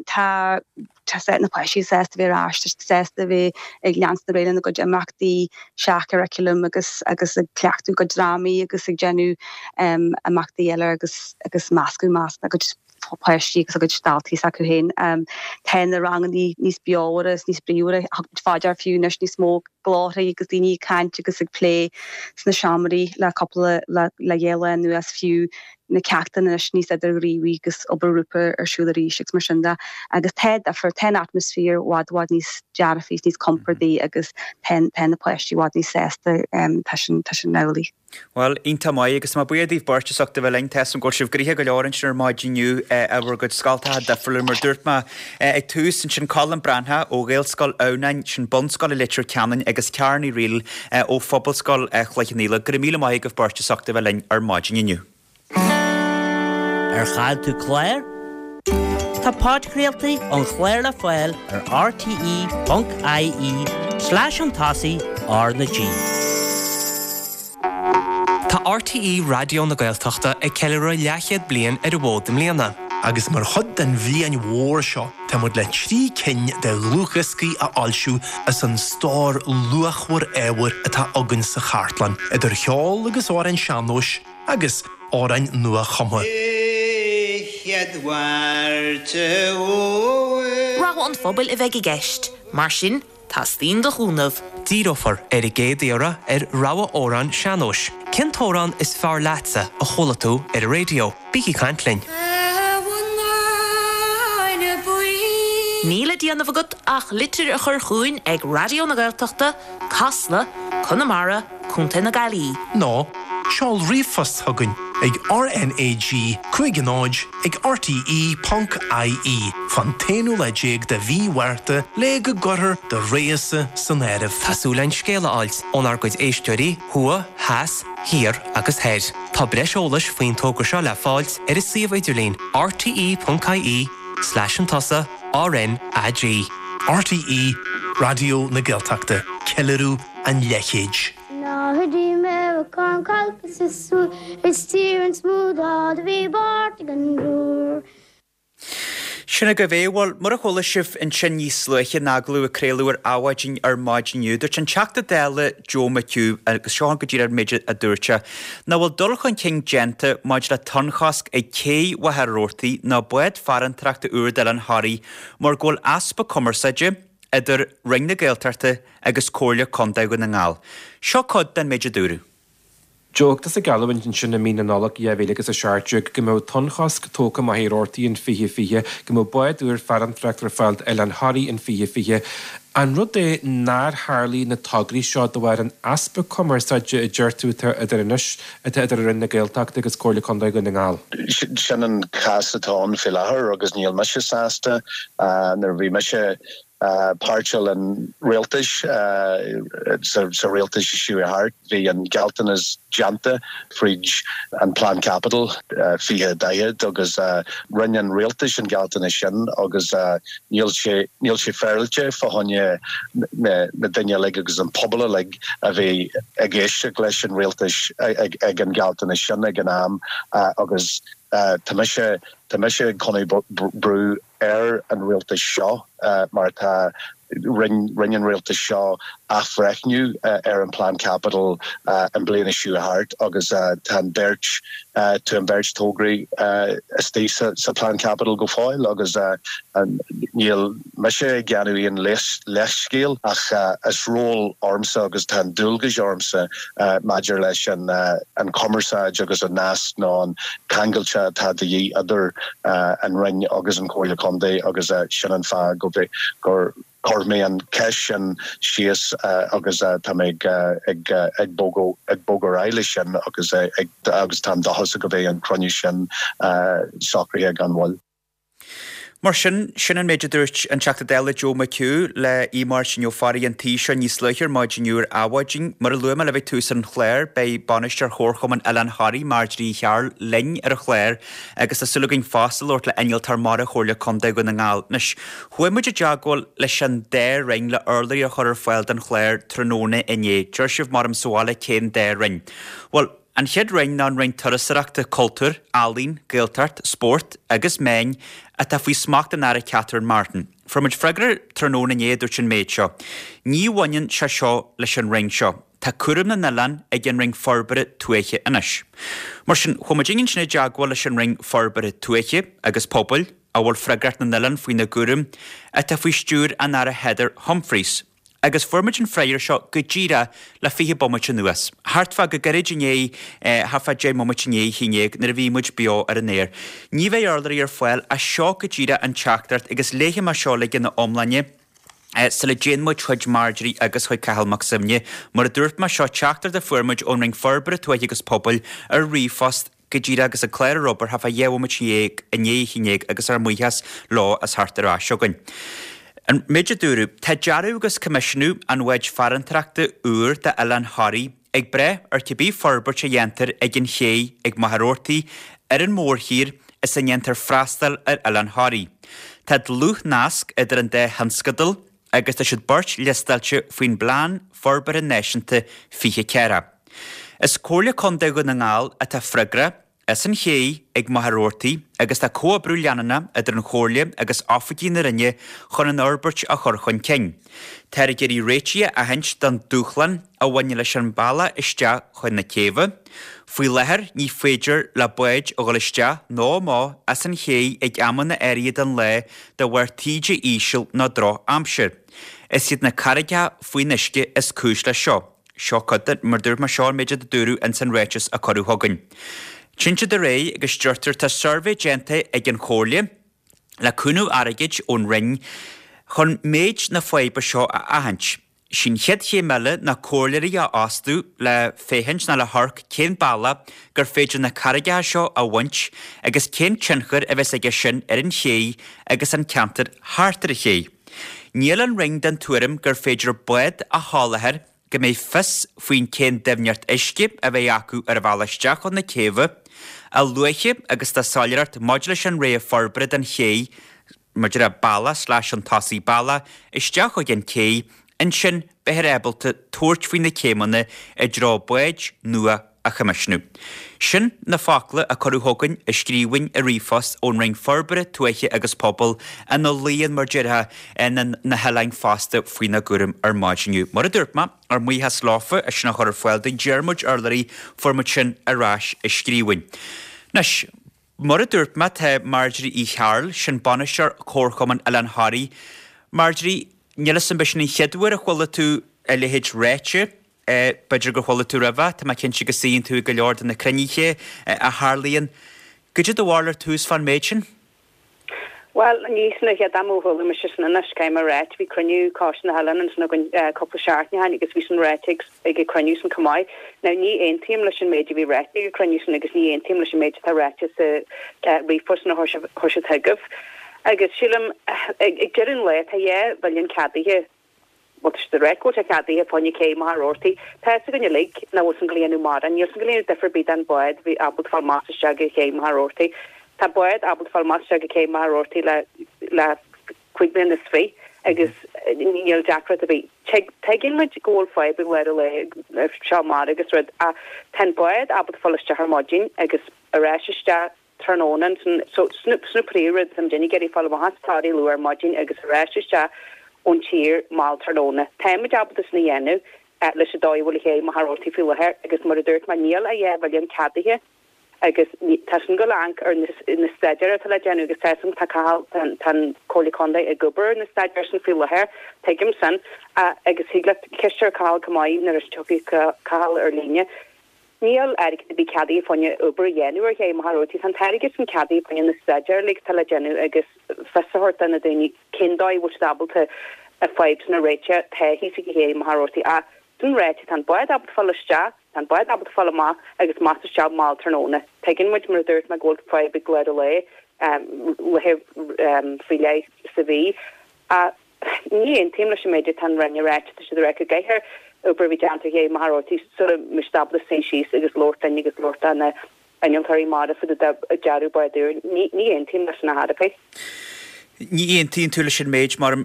Tá tá na páistí sásta bheith ar ais, tá siad sásta bheith ag leanstan ar aghaidh lena gcuid imeachtaí seach-churaclaim agus agus ag cleachtadh a gcuid drámaí agus ag déanamh imeachtaí eile agus agus meascadh measc a gcuid páistí agus a gcuid daltaí s'acu féin. Tá na ranganna níos beomhaire is níos bríomhaire, thug muid faoi deara fiú anois níos mó glórthaí agus daoine ag caint agus ag plé sna seomraí le cúpla le le dhá lá anuas fiú na ceachtanna anois níos idirghníomhaí agus obair ghrúpa ar siúl arís agus mar sin de. Agus tá difear, tá an atmaisféar i bhfad i bhfad níos dearfaí is níos compordaí agus tá tá na páistí i bhfad níos sásta tá sin tá sin amhlaidh. Bhuel, iontach maith agus tá mé buíoch daoibh beirt as ucht a bheith linn. Tá a fhios agam go bhfuil sibh gnoitheach go leor ansin ar maidin inniu i bhur gcuid scoltacha difriúla mar dúirt mé ag tús ansin Colm Breathnach ó Ghaelscoil Adhamhnáin, sin bunscoil i Leitir Ceanainn agus Karen Ní Fhrighil ó Phobalscoil Chloich Cheann Fhaola. Go raibh míle maith agaibh beirt as ucht a bheith linn ar maidin inniu. Ar chaill tú clár? Tá podchraoltaí an chláir le fáil ar rte ponc ie slash an tosaigh R na G. Tá RTÉ Raidió na Gaeltachta ag ceiliúradh leathchéad bliain ar an bhfód i mbliana. Agus mar chuid den bhliain mhór seo, tá muid le trí cinn de dhlúthdhioscaí a fhoilsiú as an stór luachmhar ábhair atá againn sa chartlann, idir cheol agus amhráin sean-nóis agus amhráin nua-chumtha. Rogha an phobail a bheidh i gceist, mar sin teastaíonn do chúnamh. Díreofar ar an gcéad iarraidh ar rogha amhrán sean-nóis. Cén t-amhrán is fearr leatsa a chuala tú ar an raidió? Bígí ag caint linn. Níl le déanamh agat ach litir a chur chugainn ag Raidió na Gaeltachta, Casla, Conamara, Contae na Gaillimhe. Nó seol ríomhphost chugainn ag RNAG cúig náid ag RTE ponc IE fán t-aonú lá déag de mhí Mhárta le go gcuirfear do rogha-sa san áireamh. Tá súil againn scéal a fháilt ónár gcuid éisteoirí thuaidh, theas, thiar agus thoir. Tá breis eolais faoin togra seo le fáilt ar an suíomh idirlín rte ponc IE slash an tosaigh RNAG. RTÉ Raidió na Gaeltachta, ceiliúradh an leathchéid. Sin agaibh é. Bhuel, mar a chuala sibh ansin níos luaithe in agallamh a craoladh ar Adhmhaidin ar maidin inniu, dúirt an Teachta Dála Joe McHugh, agus seo go díreach an méid a dúirt sé, nach bhfuil dul chun cinn déanta maidir le tonnchosc ag cé Mhachaire Rabhartaigh ná bád farantóireachta úr d'Oileán Thoraí mar go bhfuil easpa cumarsáide idir Roinn na Gaeltachta agus Comhairle Contae Dhún na nGall. Seo cuid den méid a dúradh. Joe, tusa ag geallúint ansin i mí na Nollag dhá mhíle agus a seacht déag go mbeadh tonnchosc tógtha Machaire Rabhartaigh in fiche fiche, go mbeadh bád úr farantóireachta ar fáil d'Oileán Thoraí in fiche fiche. An rud é nár tharlaigh na tograí seo de bharr an easpa cumarsáide a deir tú atá idir anois, atá idir Roinn na Gaeltachta agus Comhairle Contae Dhún na nGall? Sin an cás atá ann faoi láthair agus níl mise sásta. Nuair a bhí mise páirteach an rialtais sa rialtas seo thart, bhí an gealltanas déanta fríd an Plean Caipitil fiche daichead agus rinne an rialtas an gealltanas sin agus níl sé níl sé féaráilte fá choinne na daoine uilig agus an pobal uilig a bhí ag éisteacht leis an rialtas ag an gealltanas sin ag an am agus tá mise tá mise ag coinneáil brú ar an rialtas seo mar tá rinne an rialtas seo athbhreithniú ar an Plean Caipitil an bliana seo thart agus tá an beirt tá an beirt tograí istigh sa sa Plean Caipitil go fóill agus níl mise ag déanamh aon leithscéal ach is ról ormsa agus tá an dualgas ormsa maidir leis an an cumarsáid agus an nasc nó an ceangailte atá de dhíth idir an Roinn agus an Comhairle Contae agus sin an fáth go gur chuir mé an cheist sin síos agus tá mé ag ag ag bogadh ag bogadh ar aghaidh leis sin agus ag agus táim dóchasach go mbeidh an cruinniú sin socraithe gan mhoill. Mar sin, sin an méid a dúirt an Teachta Dála Joe McHugh le Aodh Máirtín Ó Fearraigh an tí seo níos luaithe ar maidin inniu ar Adhmhaidin. Mar a luaigh mé libh ag tús an chláir, beidh Bainisteoir Chomharchumann Oileán Thoraí, Marjorie Uí Chearúil, linn ar an chlár agus tá súil againn fosta labhairt le Innealtóir Mara Chomhairle Contae Dhún na nGall. Anois, chuaigh muid i dteagmháil leis an dá roinn le urlabhraí a chur ar fáil don chlár tráthnóna inné. Deir sibh mar am sa bhaile cén dá roinn? Bhuel, an chéad roinn ná an Roinn Turasóireachta, Cultúir, Ealaíon, Gaeltacht, Spórt agus Meáin atá faoi smacht an Aire Catherine Martin. Fuair muid freagra tráthnóna inné a dúirt an méid seo, Ní bhaineann sé seo leis an Roinn seo. Tá cúram na n-oileán ag an Roinn Forbartha Tuaithe anois. Mar sin, chuaigh muid ansin i dteagmháil leis an Roinn Forbartha Tuaithe agus Pobail, a bhfuil freagracht na n-oileán faoina gcúram, atá faoi stiúir an Aire Heather Humphreys. Agus fuair muid an freagra seo go díreach le fiche bomaite anuas. Thart fá go gairid i ndiaidh, thart fá deich mbomaite i ndiaidh a haon déag nuair a bhí muid beo ar an aer. Ní bheidh urlabhraí ar fáil as seo go díreach an teachtaireacht agus léifidh mé seo uilig ina iomláine sula dtéann muid chuig Marjorie agus chuig Cathal Mac Suibhne. Mar a dúirt mé, seo teachtaireacht a fuair muid ón Roinn Forbartha Tuaithe agus Pobail ar ríomhphost go díreach agus an clár ar obair thart fá dheich bhomaite dhéag i ndiaidh a haon déag agus ár mbuíochas leo as theacht ar ais chugainn. An méid a dúradh, Tá dearadh agus coimisiúnú an bháid farantóireachta úr d'Oileán Thoraí ag brath ar cibé forbairt a dhéantar ag an ché ag Machaire Rabhartaigh ar an mórthír is a ndéantar freastal ar Oileán Thoraí. Tá dlúthnasc idir an dá thionscadal agus tá siad beirt liostáilte faoin bPlean Forbartha Náisiúnta fiche ceathracha. Is Comhairle Contae Dhún na nGall atá freagrach as an ché ag Machaire Rabhartaigh agus tá comhoibriú leanúnach idir an Chomhairle agus oifigigh na Roinne chun an fhorbairt a chur chun cinn. Táthar ag iarraidh réitigh a aithint don dúshlán a bhaineann leis an mbealach isteach chun na céibhe. Faoi láthair ní féidir le báid a dhul isteach nó amach as an ché ag amanna áirithe den lá de bharr taoide íseal nó drochaimsir. Is iad na carraigeacha faoin uisce is cúis leis seo. Seo cuid de, mar dúirt mé, seo an méid a dúradh ins an ráiteas a cuireadh chugainn. Téann siad ar aghaidh agus deirtear tá suirbhé déanta ag an Chomhairle le cúnamh airgid ón Roinn chun méid na faidhbe seo a aithint. Sí'n chéad chéim eile ná comhairleoirí a fhostú le féachaint nó le hamharc cén bealach gur féidir na carraigeacha seo a bhaint agus cén tionchar a bheas aige sin ar an ché agus an ceantar thart ar an ché. Níl an Roinn den tuairim gur féidir bád a sholáthar go mbeidh fios faoin cén doimhneacht uisce a bheidh acu ar a bhealach isteach chun na céibhe, a luaithe agus tá soiléireacht maidir leis an rogha forbartha don ché, maidir le bealach slash an tosaigh bealach isteach chuig an cé, ansin beifear ábalta tabhairt faoi na céimeanna i dtreo báid nua a choimisiúnú. Sin na focla a cuireadh chugainn i scríbhinn i ríomhphost ón Roinn Forbartha Tuaithe agus Pobail ina luíonn, mar déarfá, na hoileáin fosta faoina gcúram ar maidin inniu. Mar a dúirt mé, ár mbuíochas leofa as sin a chur ar fáil dúinn, Diarmuid urlabhraí, fuair muid sin ar ais i scríbhinn. Anois, mar a dúirt mé, tá Marjorie Uí Chearúil, sin bainisteoir Chomharchumann Oileán Thoraí. Marjorie, níl 'fhios a'm ab é sin an chéad uair a chuala tú a leithéid ráite B'fhéidir gur chuala tú roimhe, tá mé cinnte go suíonn tú ag go leor de na cruinnithe a tharlaíonn. Goidé do bharúil ar tús fán méid sin? Bhuel, ní sin an chéad am ó chuala mise sin anois, caithfidh mé a ráit. Bhí cruinniú Coiste na hOileán ansin againn cúpla seachtain ó shin agus bhí sin ráite ag an cruinniú sin chomh maith. Now, ní aontaím leis an méid a bhí ráite ag an cruinniú sin agus ní aontaím leis an méid atá ráite sa ríomhphost sin a chuir siad chugaibh. Agus sílim, ag deireadh an lae, tá dhá mhilliún ceadaithe. Bhuel, tá siad ag ráit go bhfuil sé ceadaithe fá choinne cé Mhachaire Rabhartaigh. Tá fhios againn uilig nach bhfuil san ag dul a dhéanamh mórán. Níl san ag dul a dhéanamh difear ar bith don bhád a bhí ábalta fáil amach is isteach go cé Mhachaire Rabhartaigh. Tá bád ábalta fáil amach is isteach go cé Mhachaire Rabhartaigh le le cúig bliana is fiche agus níl deacracht ar bith. Tuigeann muid go bhfuil fadhb ag lár an lae seo mara agus rud ach tá an bád ábalta fáil isteach ar maidin agus ar ais isteach tráthnóna ansin so sin an príomhrud tá muid ag iarraidh fáil amach as Toraigh luath ar maidin agus ar ais isteach ón tír mall tráthnóna. Táimid ábalta sin a dhéanamh leis an dóigh a bhfuil cé Mhachaire Rabhartaigh faoi láthair agus mar a dúirt mé níl ach dhá mhilliún ceadaithe agus tá sin ag dul a amharc ar na staidéir atá le déanamh agus tá san tá Cathal tá an Comhairle Contae ag obair ar na staidéir sin faoi láthair tuigim sin agus thig leat ceist a chur ar Cathal chomh maith nuair a tiocfaidh Cathal ar líne. Níl airgead ar bith ceadaithe fá choinne obair a dhéanamh ar ché Mhachaire Rabhartaigh. Tá an t-airgead sin ceadaithe fá choinne na staidéir uilig atá le déanamh agus fios a thabhairt do na daoine cén dóigh a bhfuil siad ábalta an fadhb sin a réiteach atá thíos ag ché Mhachaire Rabhartaigh. Ach sin ráite, tá an bád ábalta fáil isteach, tá an bád ábalta fáil amach agus amach is isteach mall tráthnóna. Tuigeann muid, mar a dúirt mé, go bhfuil fadhb ag lár an lae, laethe faoi leith sa mhí. Ach ní aontaím leis an méid atá an Roinn ag ráit, tá siad ag rá go gcaithfear obair a bheith déanta ar ché Mhachaire Rabhartaigh sula mbeidh siad ábalta suí síos agus labhairt linn agus labhairt le na innealtóirí mara fá dtaobh de dearadh bád úr. Ní aontaím leis sin ar chor ar bith. Ní aontaíonn tú leis an méid mar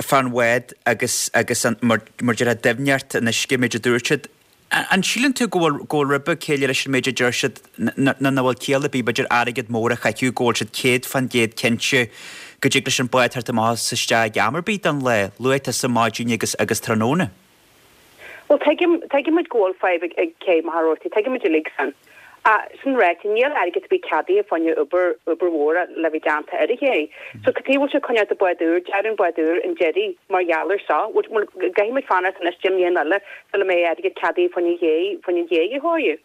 fán bhád agus agus an mar mar deir doimhneacht an uisce méid a dúirt siad. An síleann tú go bhfuil go bhfuil ribe céille leis an méid a deir siad nó nach bhfuil ciall ar bith b'fhéidir airgead mór a chaitheamh go bhfuil siad céad fán gcéad cinnte go dtig leis an bád theacht amach is isteach ag am ar bith den lá, luath sa maidin agus agus tráthnóna? Bhuel, tuigim, tuigim muid go bhfuil fadhb ag, ag cé Mhachaire Rabhartaigh, tuigim muid uilig san. Ach sin ráite, níl airgead ar bith ceadaithe fá choinne obair, obair mhór le bheith déanta ar an ché. So cad chuige a bhfuil siad ag coinneáil bád úr, dearadh an bád úr an deiridh mar gheall ar seo. Bhuel, caithfidh muid fanacht anois deich mbliana eile sula mbeidh airgead ceadaithe fá choinne an ché, fá choinne an ché a chóiriú.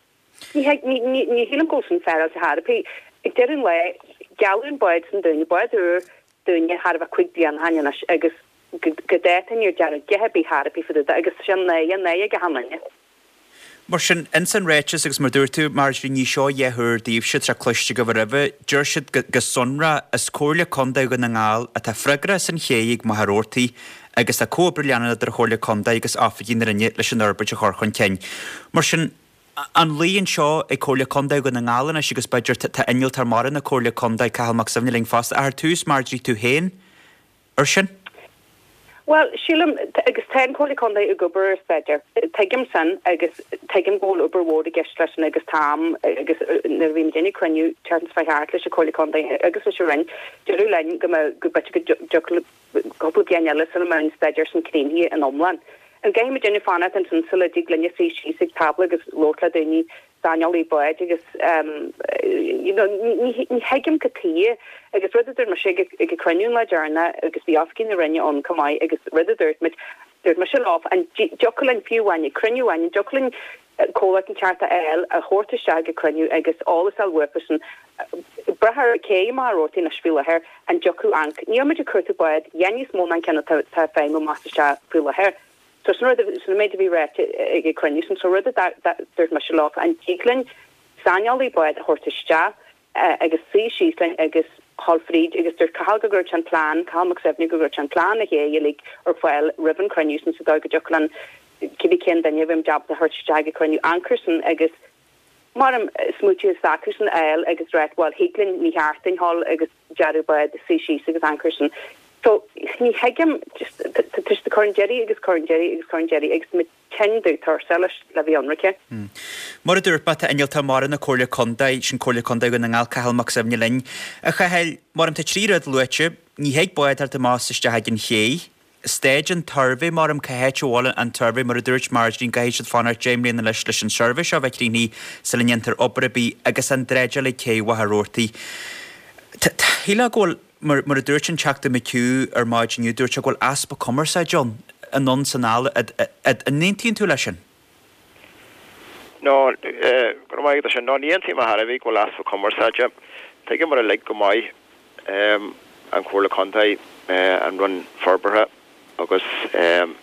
Ní, ní, ní, ní shílim go bhfuil sin féaráilte chor ar bith. Ag deireadh an lae, gealladh an bád sin dúinne, bád úr dúinne thar a bheith cúig bliana ó shin anois agus go dáta níor dearadh a dhath ar bith chor ar bith fá dtaobh de agus sin náire, náire ag achan duine. Mar sin, ins an ráiteas agus mar dúirt tú, Marjorie, ní seo a chéad uair daoibhse, tá sé cloiste agaibh roimhe, deir siad go sonrach, is Comhairle Contae Dhún na nGall atá freagrach as an ché ag Machaire Rabhartaigh agus tá comhoibriú leanúnach idir an Chomhairle Contae agus oifigigh na Roinne leis an fhorbairt a chur chun cinn. Mar sin, an luí anseo ag Comhairle Contae Dhún na nGall anois agus b'fhéidir tá innealtóir mara na Comhairle Contae, Cathal Mac Suibhne linn fosta, ach ar tús, Marjorie, tú féin ar sin? Bhuel, sílim, agus tá an Chomhairle Contae ag obair ar staidéar. Tuigim sin agus tuigim go bhfuil obair mhór i gceist leis sin agus táim, agus nuair a bhí muid ag cruinniú an tseachtain seo chuaigh thart leis an Chomhairle Contae agus leis an Roinn, dúradh linn go mbeadh, go b'fhéidir go dtiocfadh cúpla bliain eile sula mbeadh an staidéar sin críochnaithe in iomlán. An gcaithfidh muid déanamh fanacht ansin sula dtig linne suí síos ag tábla agus labhairt le daoine saineolaí báid agus you know ní thuigim cad chuige agus rud a dúirt mise ag ag an cruinniú an lá deireanach agus bhí oifigigh na Roinne ann chomh maith agus rud a dúirt muid dúirt mise leo an dtiocfadh linn fiú amháin ag cruinniú amháin an dtiocfadh linn comhlacht inteacht a fháil a thabhairt isteach ag an cruinniú agus eolas a fháil uathusan brath ar cé Machaire Rabhartaigh anois faoi láthair an dtiocfadh anc níl muid ag cuartú bád a dhath níos mó ná an ceann atá ag feidhmiú amach is isteach faoi láthair. So sin rud, sin an méid a bhí ráite ag an cruinniú sin. So rud a dúirt mise leo, an dtig linn saineolaí bád a thabhairt isteach agus suí síos linn agus dhul fríd agus dúirt Cathal go gcuirfeadh sé an plean, Cathal Mac Suibhne, go gcuirfeadh sé an plean a ché uilig ar fáil roimh an cruinniú sin sa dóigh go dtiocfadh linn cibé cén duine a bhí muid ábalta a thabhairt isteach ag an cruinniú amharc air sin agus mar smaoitiú s'acusan a fháil agus ráit bhuel thig linn ní cheart dúinn dhul agus dearadh bád suí síos agus amharc air sin. So ní thuigim just tá siad ag cur an deiridh agus cur an deiridh agus cur an deiridh agus muid tinn dubh tuirseach leis le bheith ionraice. Mar a dúirt mé, tá innealtóir mara na Comhairle Contae, sin Comhairle Contae Dhún na nGall, Cathal Mac Suibhne linn. A Chathail, mar tá trí rud luaite, ní thig bád theacht amach is isteach ag an ché, Staid an tsuirbhé, mar cá háit a bhfuil an tsuirbhé, mar a dúirt Marjorie, an gcaithfidh siad fanacht deich mbliana leis leis an suirbhé seo a bheith críochnaithe sula ndéantar obair ar bith agus an dreideáil ag cé Mhachaire Rabhartaigh. Shílfeá go bhfuil, mar mar a dúirt an Teachta McHugh ar maidin inniu, dúirt sé go bhfuil easpa cumarsáide ann, anonn 's anall, an aontaíonn tú leis sin? No, go raibh maith agat as sin. No, ní aontaím ar chor ar bith go bhfuil easpa cumarsáide. Tuigeamar uilig go maith an Chomhairle Contae, an Roinn Forbartha agus an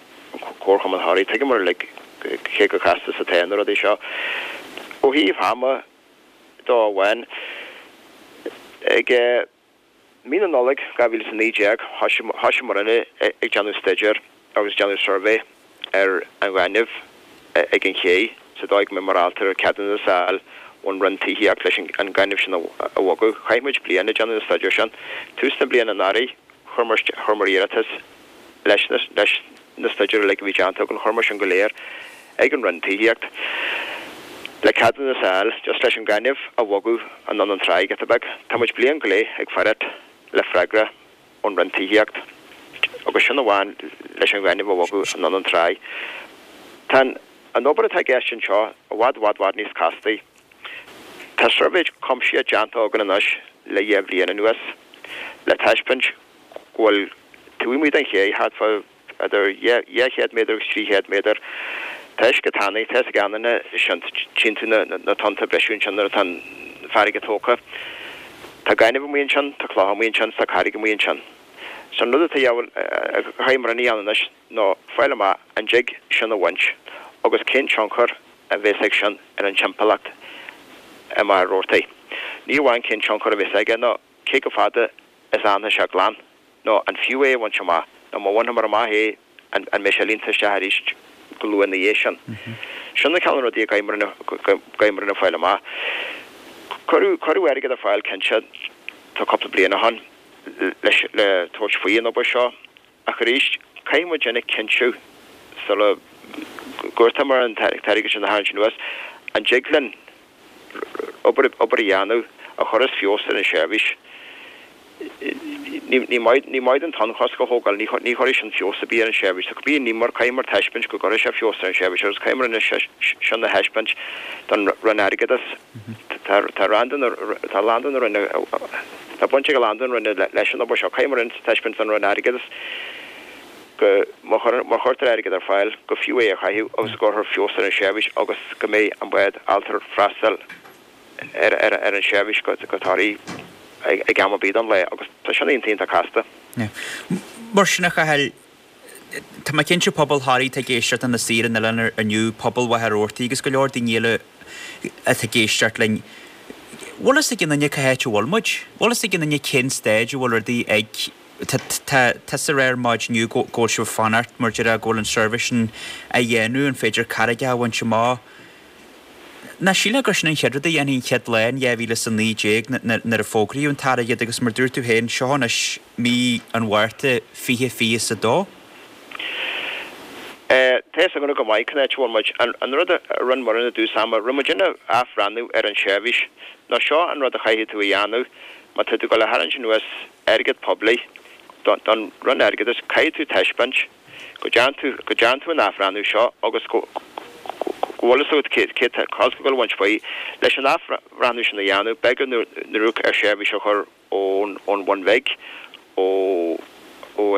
Comharchumann Thoraí. Tuigeamar uilig cé chomh casta is atá na rudaí seo. Ó thaobh ama de amháin, ag mí na Nollag dhá mhíle is a naoi déag, thosaigh muidne ag déanamh staidéir agus déanamh suirbhé ar an ghaineamh ag an ché sa dóigh go mbeimid ábalta ceadúnas a fháil ón Roinn Tithíochta leis an gaineamh sin a bhogadh. Chaith muid bliain ag déanamh na staidéir sin. Tús na bliana anuraidh, chuireamar iarratas leis na staidéir uilig a bhí déanta againn, chuireamar sin go léir ag an Roinn Tithíochta le ceadúnas a fháil just leis an gaineamh a bhogadh anonn an tráigh giota beag. Tá muid bliain go leith ag faire le freagra ón Roinn Tithíochta agus sin amháin leis an ghaineamh a bhogadh anonn an tráigh. Tá an obair atá i gceist anseo i bhfad bhfad bhfad níos castaí. Tá suirbhé cuimsitheach déanta againn anois le dhá bhliain anuas le taispeáint go bhfuil taobh amuigh den ché thart fá idir dhá chéad méadar agus trí chéad méadar tá uisce tanaí, tá a fhios ag gach éinne sin, tchíonn tú na tonnta ag briseadh ansin nuair atá an farraige tógtha. Tá gaineamh amuigh ansin, tá clocha amuigh ansin, tá carraig amuigh ansin. So an rud atá a chaithfidh muid a dhéanamh anois ná fáil amach an dtig sin a bhaint agus cén tionchar a bheas ag sin ar an timpeallacht i Machaire Rabhartaigh. Ní amháin cén tionchar a bheas aige ná cé chomh fada is a fhanfaidh sé glan nó an fiú é a bhaint amach nó má bhainfear amach é an mbeidh sé líonta isteach arís go luath ina dhiaidh sin. Sin na cineál rudaí a gcaithfidh muid a fáil amach. Cuireadh cuireadh airgead ar fáil cinnte tá cúpla bliain ó shin leis le tabhairt faoi an obair seo ach arís caithfidh muid a chinntiú sula gcuirtear an t-airgead sin a tharraingt anuas an dtig linn obair obair a dhéanamh a chuirfeas feabhas ar an seirbhís. Ní maith ní maith an tonnchosc a thógáil, ní ní chuirfidh sin feabhas ar bith ar an seirbhís. So cibé ní mar caithfidh muid taispeáint go gcuirfidh sé feabhas ar an seirbhís agus caithfidh muid sin a thaispeáint don Roinn Airgeadais. Tá tá rand tá lán den Roinn tá baint ag a lán den Roinn leis an obair seo. Caithfidh muid taispeáint don Roinn Airgeadais go má chuirtear airgead ar fáil go fiú é a chaitheamh agus go gcuirfear feabhas ar an seirbhís agus go mbeidh an bád ábalta freastal ar ar ar an seirbhís go go Toraigh ag am ar bith den lae agus tá sin iontach casta. Mar sin a Chathail, tá mé cinnte pobal Thoraí atá ag éisteacht ina suí ar an oileán inniu, pobal Mhachaire Rabhartaigh agus go leor daoine eile atá ag éisteacht linn. Bhfuil fhios ag aon duine cá háit a bhfuil muid? Bhfuil fhios ag aon duine cén staid a bhfuil rudaí ag Tá tusa ag rá ar maidin inniu go bhfuil sibh ag fanacht mar déarfá go bhfuil an suirbhé sin á dhéanamh, an féidir carraigeacha a bhaint amach? Nach sílfeá gur sin an chéad rud a dhéanfaí an chéad lá in dhá mhíle is a naoi déag nuair a fógraíodh an t-airgead agus mar dúirt tú féin, seo anois mí an Mhárta fiche fiche is a dó. Tá fhios againn go maith cén áit a bhfuil muid. An rud a rinne muid i dtús ama, rinne muid athbhreathnú ar an tseirbhís. Nó seo an rud a chaithfidh tú a dhéanamh má tá tú ag dul a tharraingt anuas airgead poiblí don Roinn Airgeadais, caithfidh tú taispeáint go dtearn tú go dtearn tú an athbhreathnú seo agus go go bhfuil fhios agat cé cé tá tú ag dul a bhaint faoi. Leis an athbhreathnú sin a dhéanamh, b'éigean dúinn ar seirbhís a chur ón ón Bhun Bhig, ó ó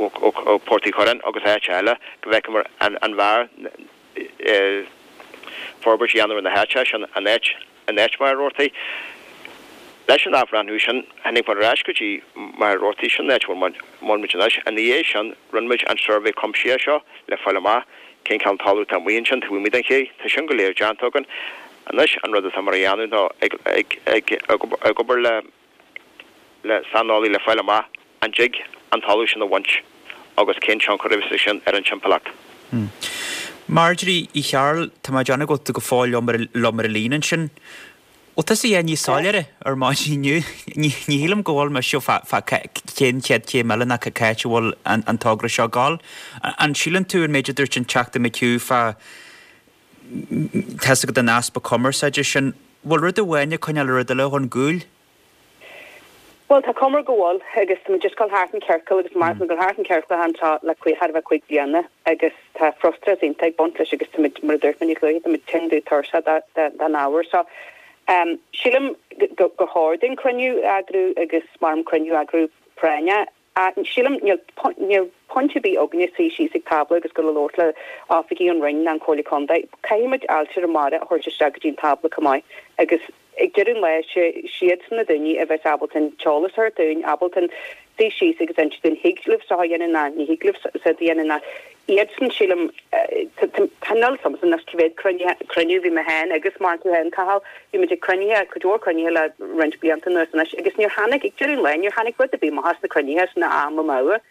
ó Port Uí Churráin agus áit eile go bhfeicfeamar an an bhfearr forbairt a dhéanamh ar na háite sin an áit in áit Mhachaire Rabhartaigh. Leis an athbhreathnú sin, tháinig muid ar ais go dtí Machaire Rabhartaigh, sin an áit a bhfuil muid anois. Ina dhiaidh sin, rinne muid an suirbhé cuimsitheach seo le fáil amach cén cineál talamh atá amuigh ansin taobh amuigh den ché. Tá sin go léir déanta againn. Anois, an rud atá muid a dhéanamh ná ag ag ag ag obair le le saineolaí le fáil amach an dtig an talamh sin a bhaint agus cén tionchar a bheas ag sin ar an timpeallacht. Marjorie Uí Chearúil, tá mé ag déanamh go bhfuil tú go fóill liom ar an líne ansin. Bhfuil tusa a dhath níos soiléire ar maidin inniu? Ní shílim go bhfuil mise fá cén chéad chéim eile ná cá háit a bhfuil an togra seo ag gabháil. An síleann tú an méid a dúirt an Teachta McHugh fá tá fhios agat an easpa cumarsáide sin, bhfuil rud amháin ag coinneáil rud eile chun gcúil? Bhuel, tá cuma go bhfuil agus tá muid just ag dul thart in ciorcal agus mar tá muid ag dul thart in ciorcal anseo le thar a bheith cúig bliana agus tá frustrachas iontach ag baint leis agus tá muid, mar a dúirt mé níos luaithe, tá muid tinn dubh tuirseach den ábhar seo. Sílim gur chóir dúinn cruinniú a eagrú agus mar cruinniú a eagrú práinneach. Sílim, níl níl point ar bith againne suí síos ag tábla agus dul a labhairt le oifigigh an Roinn ná an Chomhairle Contae. Caithfidh muid Ailtirí Mara a thabhairt isteach go dtí an tábla chomh maith agus ag deireadh an lae sé siadsan na daoine a bheas ábalta an t-eolas a thabhairt dúinn, ábalta suí síos agus inse dúinn thig libh seo a dhéanamh ná ní thig libh seo a dhéanamh ná iadsan sílim tá níl a fhios agamsa anois cá mhéad cruinnithe cruinniú bhí mé féin agus mar tú féin Cathal bhí muid ag cruinnithe cuid mhór cruinnithe le roinnt blianta anuas anois agus níor tháinig ag deireadh an lae níor tháinig rud ar bith amach as na cruinnithe sin am amú.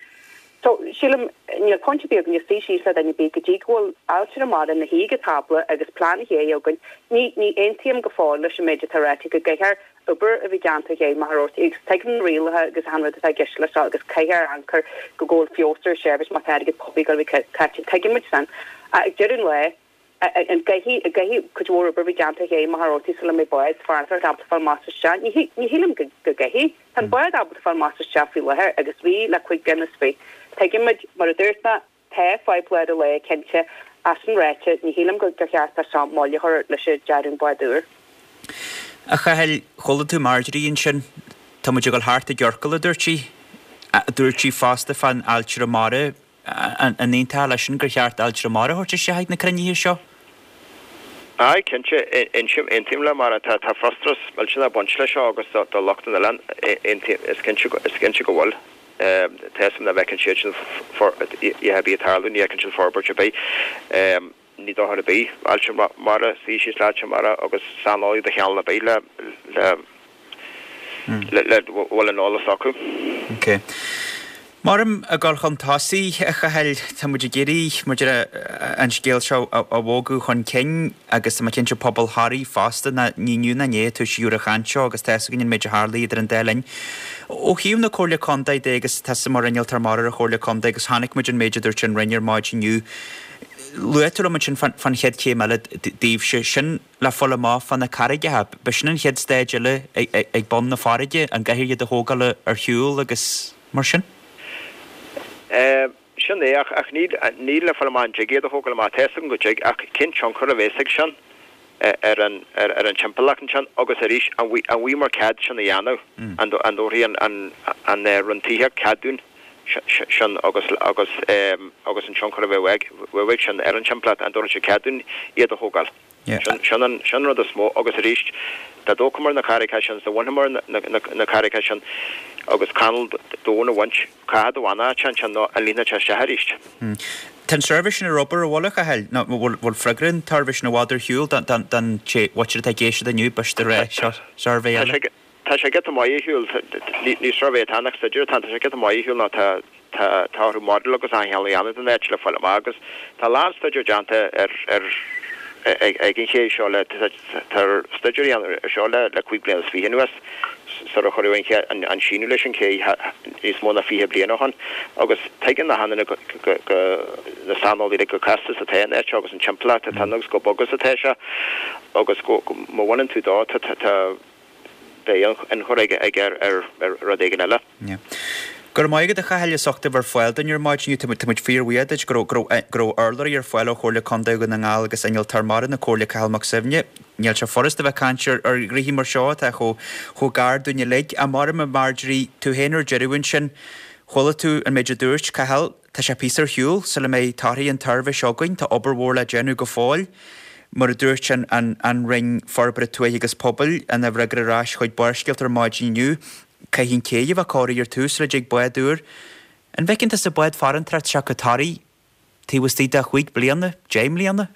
So sílim níl point ar bith againne suí síos le duine ar bith go dtí go bhfuil Ailtirí Mara ina shuí ag an tábla agus plean ché againn. Ní ní aontaím go fóill leis an méid atá ráite go gcaithfear obair a bhí déanta ag Machaire Rabhartaigh agus tuigim na rialacha agus achan rud atá i gceist leis seo agus caithfear amharc air go bhfuil feabhas ar seirbhís má tá airgead poiblí ag dul a bheith caite. Tuigeann muid sin. Ag deireadh an lae, an gcaithfidh an gcaithfidh cuid mhór obair a bhí déanta ag Machaire Rabhartaigh sula mbeidh bád farantóireachta ábalta fáil amach is isteach? Ní ní shílim go go gcaithfidh. Tá an bád ábalta fáil amach is isteach faoi láthair agus bhí le cúig bliana is fiche. Tuigeann muid, mar a dúirt mé, Tá fadhb lá ar lá, cinnte, ach sin ráite, ní shílim gur cheart é seo moill a chur leis an dearadh an bád úr. A Chathail, chuala tú Marjorie ansin. Tá muid ag dul thart i gciorcal, a dúirt sí. Dúirt sí fosta fán Ailtire Mara. An aontófá leis sin gur cheart Ailtire Mara a thabhairt isteach ag na cruinnithe seo? Aye, cinnte. Aontaím le Máire. Tá frustrachas millteanach ag baint leis seo agus do lucht an oileáin, is cinnte go bhfuil. Tá a fhios agam nach bhfeiceann siad sin a dhath ar bith ag tarlú, ní fheiceann siad forbairt ar bith. Ní dochar ar bith Ailtirí Mara, suí síos le Ailtirí Mara agus saineolaí de chineál ar bith le le le bhfuil an eolas acu. Ok. Maram ag dul chun tosaigh, a Chathail, tá muid ag iarraidh, maidir an scéal seo a bhogadh chun cinn agus tá mé cinnte pobal Thoraí fosta, ná ní inniu ná inné a toisíodh ar an chaint seo agus tá fhios againn an méid a tharlaigh idir an dá linn. Ó thaobh na Comhairle Contae de agus tusa mar innealtóir mara ar an Chomhairle Contae agus chonaic muid an méid a dúirt an Roinn ar maidin inniu, Luaigh tú liom ansin fán chéad chéim eile daoibhse, sin le fáil amach fá na carraigeacha. B'shin an chéad staid eile ag bun na farraige, an gcaithfear iad a thógáil ar shiúl agus mar sin? Sin é, ach níl le fáil amach an dtig iad a thógáil amach. Tá fhios agam go dtig, ach cén tionchar a bheas ag sin ar an timpeallacht ansin agus arís, an bhfaighimid cead sin a dhéanamh? An dtabharfaidh an Roinn Tithíochta cead dúinn? sin agus agus agus an tionchar a bheadh bheadh ag sin ar an timpeallacht, an dtabharfaidh sé cead dúinn iad a thógáil. Sin sin an sin an rud is mó agus arís dá dtógfamar na carraigeacha sin, dá bhainfeamar na na na carraigeacha sin agus canáil domhain a bhaint, caithfidh do bhfanfadh sé ansin nó an líonfadh sé isteach arís. Tá an suirbhé sin ar obair, an bhfuil, a Chathail? Nó bhfuil bhfuil freagra an tsuirbhé sin i bhfad ar shiúl don don don té mhuintir atá ag éisteacht inniu, b'fhéidir a rá seo suirbhé Tá eile. sé Tá sé giota maith ar shiúl, ní suirbhé atá ann ach staidéar atá ann, tá sé giota maith ar shiúl nó tá tá tá orthu model agus achan chineál a dhéanamh den áit le fáil amach agus tá a lán staidéar déanta ar ar ag ag an ché seo le tá staidéar á dhéanamh ar seo le le cúig bliana is fiche anuas sar a cuireadh an ché an an síneadh leis an ché níos mó ná fiche bliain ó shin agus tuigeann achan duine go go go na saineolaithe gur casta is atá an áit seo agus an timpeallacht atá ann agus chomh bog is atá sé agus go go má bhaineann tú dó tá tá tá Beidh tionchar aige ar rud éigin eile. Go raibh maith agat a Chathail as ucht a bheith ar fáil dúinn ar maidin inniu. Tá muid fíorbhuíoch duit go raibh urlabhraí ar fáil ó Chomhairle Contae Dhún na nGall agus Innealtóir Mara na Comhairle Cathal Mac Suibhne. Níl sé furast a bheith ag caint ar ghnoithí mar seo atá chomh gar dúinn uilig. Ach maram a Marjorie, tú féin ar deireadh ansin. Chuala tú an méid a dúirt Cathal. Tá sé píosa ar shiúl sula mbeidh torthaí an tsuirbhé seo againn. Tá obair mhór le déanamh go fóill. Mar a dúirt an an Roinn Forbartha Tuaithe agus Pobail ina bhfreagra ar ais chuig Barrscéalta ar maidin inniu, caithfidh an cé a bheith cóirithe ar tús sula dtig bád úr. An bhfeiceann tusa bád farantóireachta isteach go Toraigh taobh istigh de chúig bliana, deich mbliana?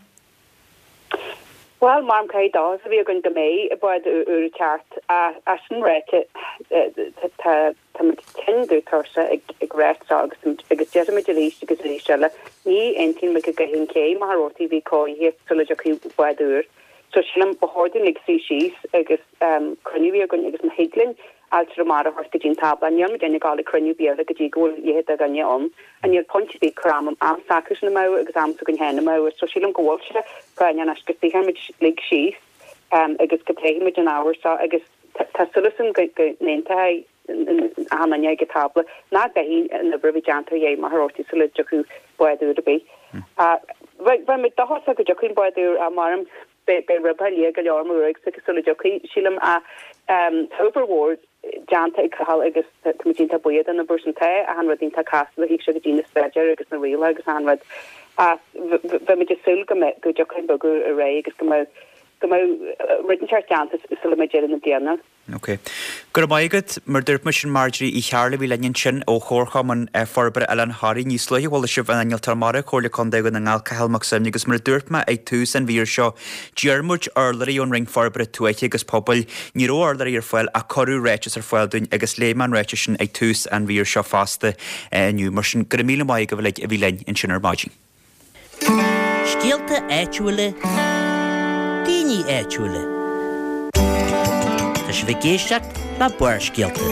Bhuel, maram caithfidh dóchas a bheith againn go mbeidh bád úr ag teacht. Ach sin ráite, tá táimid tinn dubh tuirseach ag ráit seo agus agus déarfaimid arís agus arís eile, ní aontaíonn muid go gcaithfidh an cé Machaire Rabhartaigh a bheith cóirithe sula dtiocfaidh bád úr. So sílim ba chóir dúinn uilig suí síos agus cruinniú a bheith againn agus má thig linn Ailtirí Mara a thabhairt go dtí an tábla, níl muid ag gabháil ag cruinniú ar bith eile go dtí go bhfuil a leithéid de dhuine ann. And níl point ar bith cur am am s'acusan amú agus am s'againn féin amú. So sílim go bhfuil sé práinneach anois go suífidh muid uilig síos agus go bpléifidh muid an ábhar seo agus tá súil agam go go n-aontóidh achan duine ag an tábla nach gcaithfidh an obair a bheith déanta ar Ché Mhachaire Rabhartaigh sula dtiocfaidh bád úr ar bith. Bheadh muid dóchasach go dtiocfaidh an bád úr, maram. Beidh ribe liath go leor mo ruaig sula dtiocfaidh, sílim, ach tá obair mhór déanta ag Cathal agus tá muid iontach buíoch den obair sin. Tá achan rud iontach casta ó thaobh seo go dtí na staidéir agus na rialacha agus achan rud ach bheadh muid ag súil go mbeidh go dtiocfaidh an bogadh ar aghaidh agus go mbeidh go mbeidh rud inteacht déanta sula mbeidh deireadh na bliana. Ok. Go raibh maith agat. Mar a dúirt muid sin Marjorie Uí Chearúil a bhí linn ansin ó Chomharchumann Forbartha Oileán Thoraí. Níos luaithe chuala sibh an Innealtóir Mara, Comhairle Contae Dhún na nGall, Cathal Mac Suibhne agus mar a dúirt mé ag tús an mhír seo, d'iarr muid urlabhraí ón Roinn Forbartha Tuaithe agus Pobail. Ní raibh urlabhraí ar fáil ach cuireadh ráiteas ar fáil dúinn agus léigh mé an ráiteas sin ag tús an mhír seo fosta inniu. Mar sin, go raibh míle maith agaibh uilig a bhí linn ansin ar maidin. Scéalta áitiúla, daoine áitiúla. Tá sibh ag éisteacht le Barrscéalta.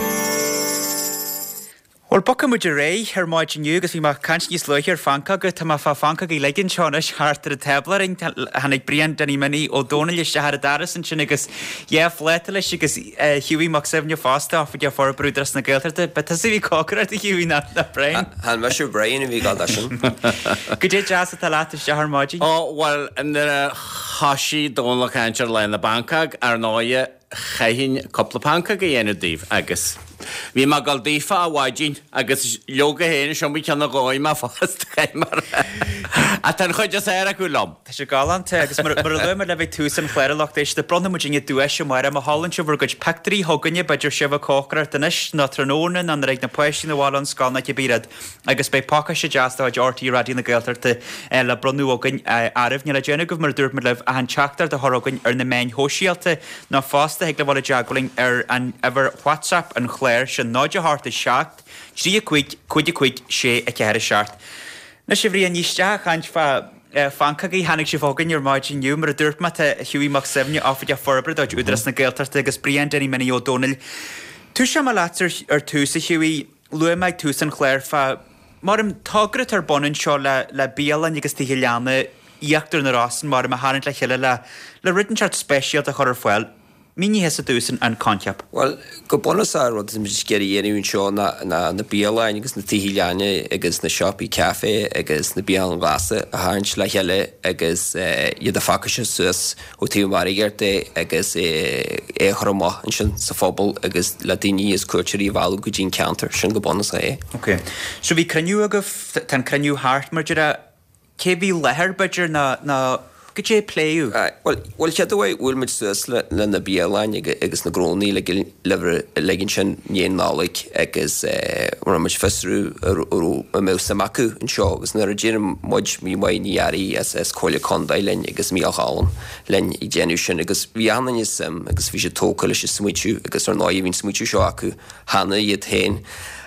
Bhuel, bogfaidh muid ar aghaidh ar maidin inniu agus bhí mé ag caint níos luaithe ar phancóga. Tá mé fá phancógaí uilig anseo anois thart ar an tábla orainn. Tháinig Brian Danny Minnie Ó Dónaill isteach ar an doras ansin agus dhá phláta leis agus Hughie Mac Suibhne fosta, Oifigeach Forbartha Údarás na Gaeltachta. Ba tusa a bhí ag cócaireacht a Hughie ná Brian? Chan mise Brian a bhí ag dul sin. Goidé deas atá leat isteach ar maidin? Ó, bhuel, nuair a thoisigh Dónal ag caint ar Lá na bPancóg, ar ndóighe, chaithfinn cúpla pancóg a dhéanamh daoibh agus bhí mé ag dul daofa ar maidin agus leoga féin is iomaí ceann a dhóigh mé fosta, caithfidh mé a rá. Ach tá an chuid is fearr acu liom. Tá sé galánta agus mar a luaigh mé libh ag tús an chláir a lucht éisteachta, bronnfaidh muidinne duais amárach má sheolann sibh bhur gcuid pictiúirí chugainne, b'fhéidir sibh ag cócaireacht anois nó tráthnóna nó nuair a bheidh na páistí 'na bhaile ón scoil nó cibé rud agus beidh pacáiste deas de chuid RTÉ Raidió na Gaeltachta le bronnadh againn oraibh. Níl le déanamh agaibh mar a dúirt muid libh ach an teachtaireacht a chur chugainn ar na meáin shóisialta nó fosta thig libh dul i dteagmháil linn ar an uimhir WhatsApp an chláir sin náid a hocht a seacht, trí a cúig, cúig a cúig, sé a ceathair a seacht. Anois a Bhriain, ní isteach ag caint fá phancógaí tháinig sibh chugainn ar maidin inniu. Mar a dúirt mé tá Hughie Mac Suibhne, Oifigeach Forbartha de chuid Údarás na Gaeltachta agus Brian Danny Minnie Ó Dónaill. Tosóidh mé leat ar tús a Hughie. Luaigh mé ag tús an chláir fá maram togra atá ar bun anseo le le bialann agus tithe leanna Íochtar na Rosann maram a tharraingt le chéile le le rud inteacht speisialta a chur ar fáil. Mínigh thusa domhsa an coincheap. Bhuel, go bunúsach an rud atá muid ag iarraidh a dhéanamh anseo ná ná na bialanna agus na tithe leanna agus na siopaí caife agus na bialanna glasa a tharraingt le chéile agus iad a phacáistiú suas ó taobh margaíocht de agus é a chur amach ansin sa phobal agus le daoine is cuairteoirí a mhealladh go dtí an ceantar. Sin go bunúsach é. Ok. So bhí cruinniú agaibh, tá an cruinniú thart mar déarfá, cé bhí i láthair b'fhéidir nó nó goidé a pléadh? Bhuel, bhuel chéad uair bhuail muid suas le le na bialanna agus na gnónna uilig ansin i ndiaidh Nollag agus rinne muid fiosrú an raibh an mbeadh suim acu anseo agus nuair a d'éirigh muid bhí Máire Ní Fhearraigh as as Comhairle Contae linn agus Mícheál Choilm linn ag déanamh sin agus bhí achan duine suim agus bhí siad tógtha leis an smaoitiú agus ar ndóigh bhí an smaoitiú seo acu cheana iad féin.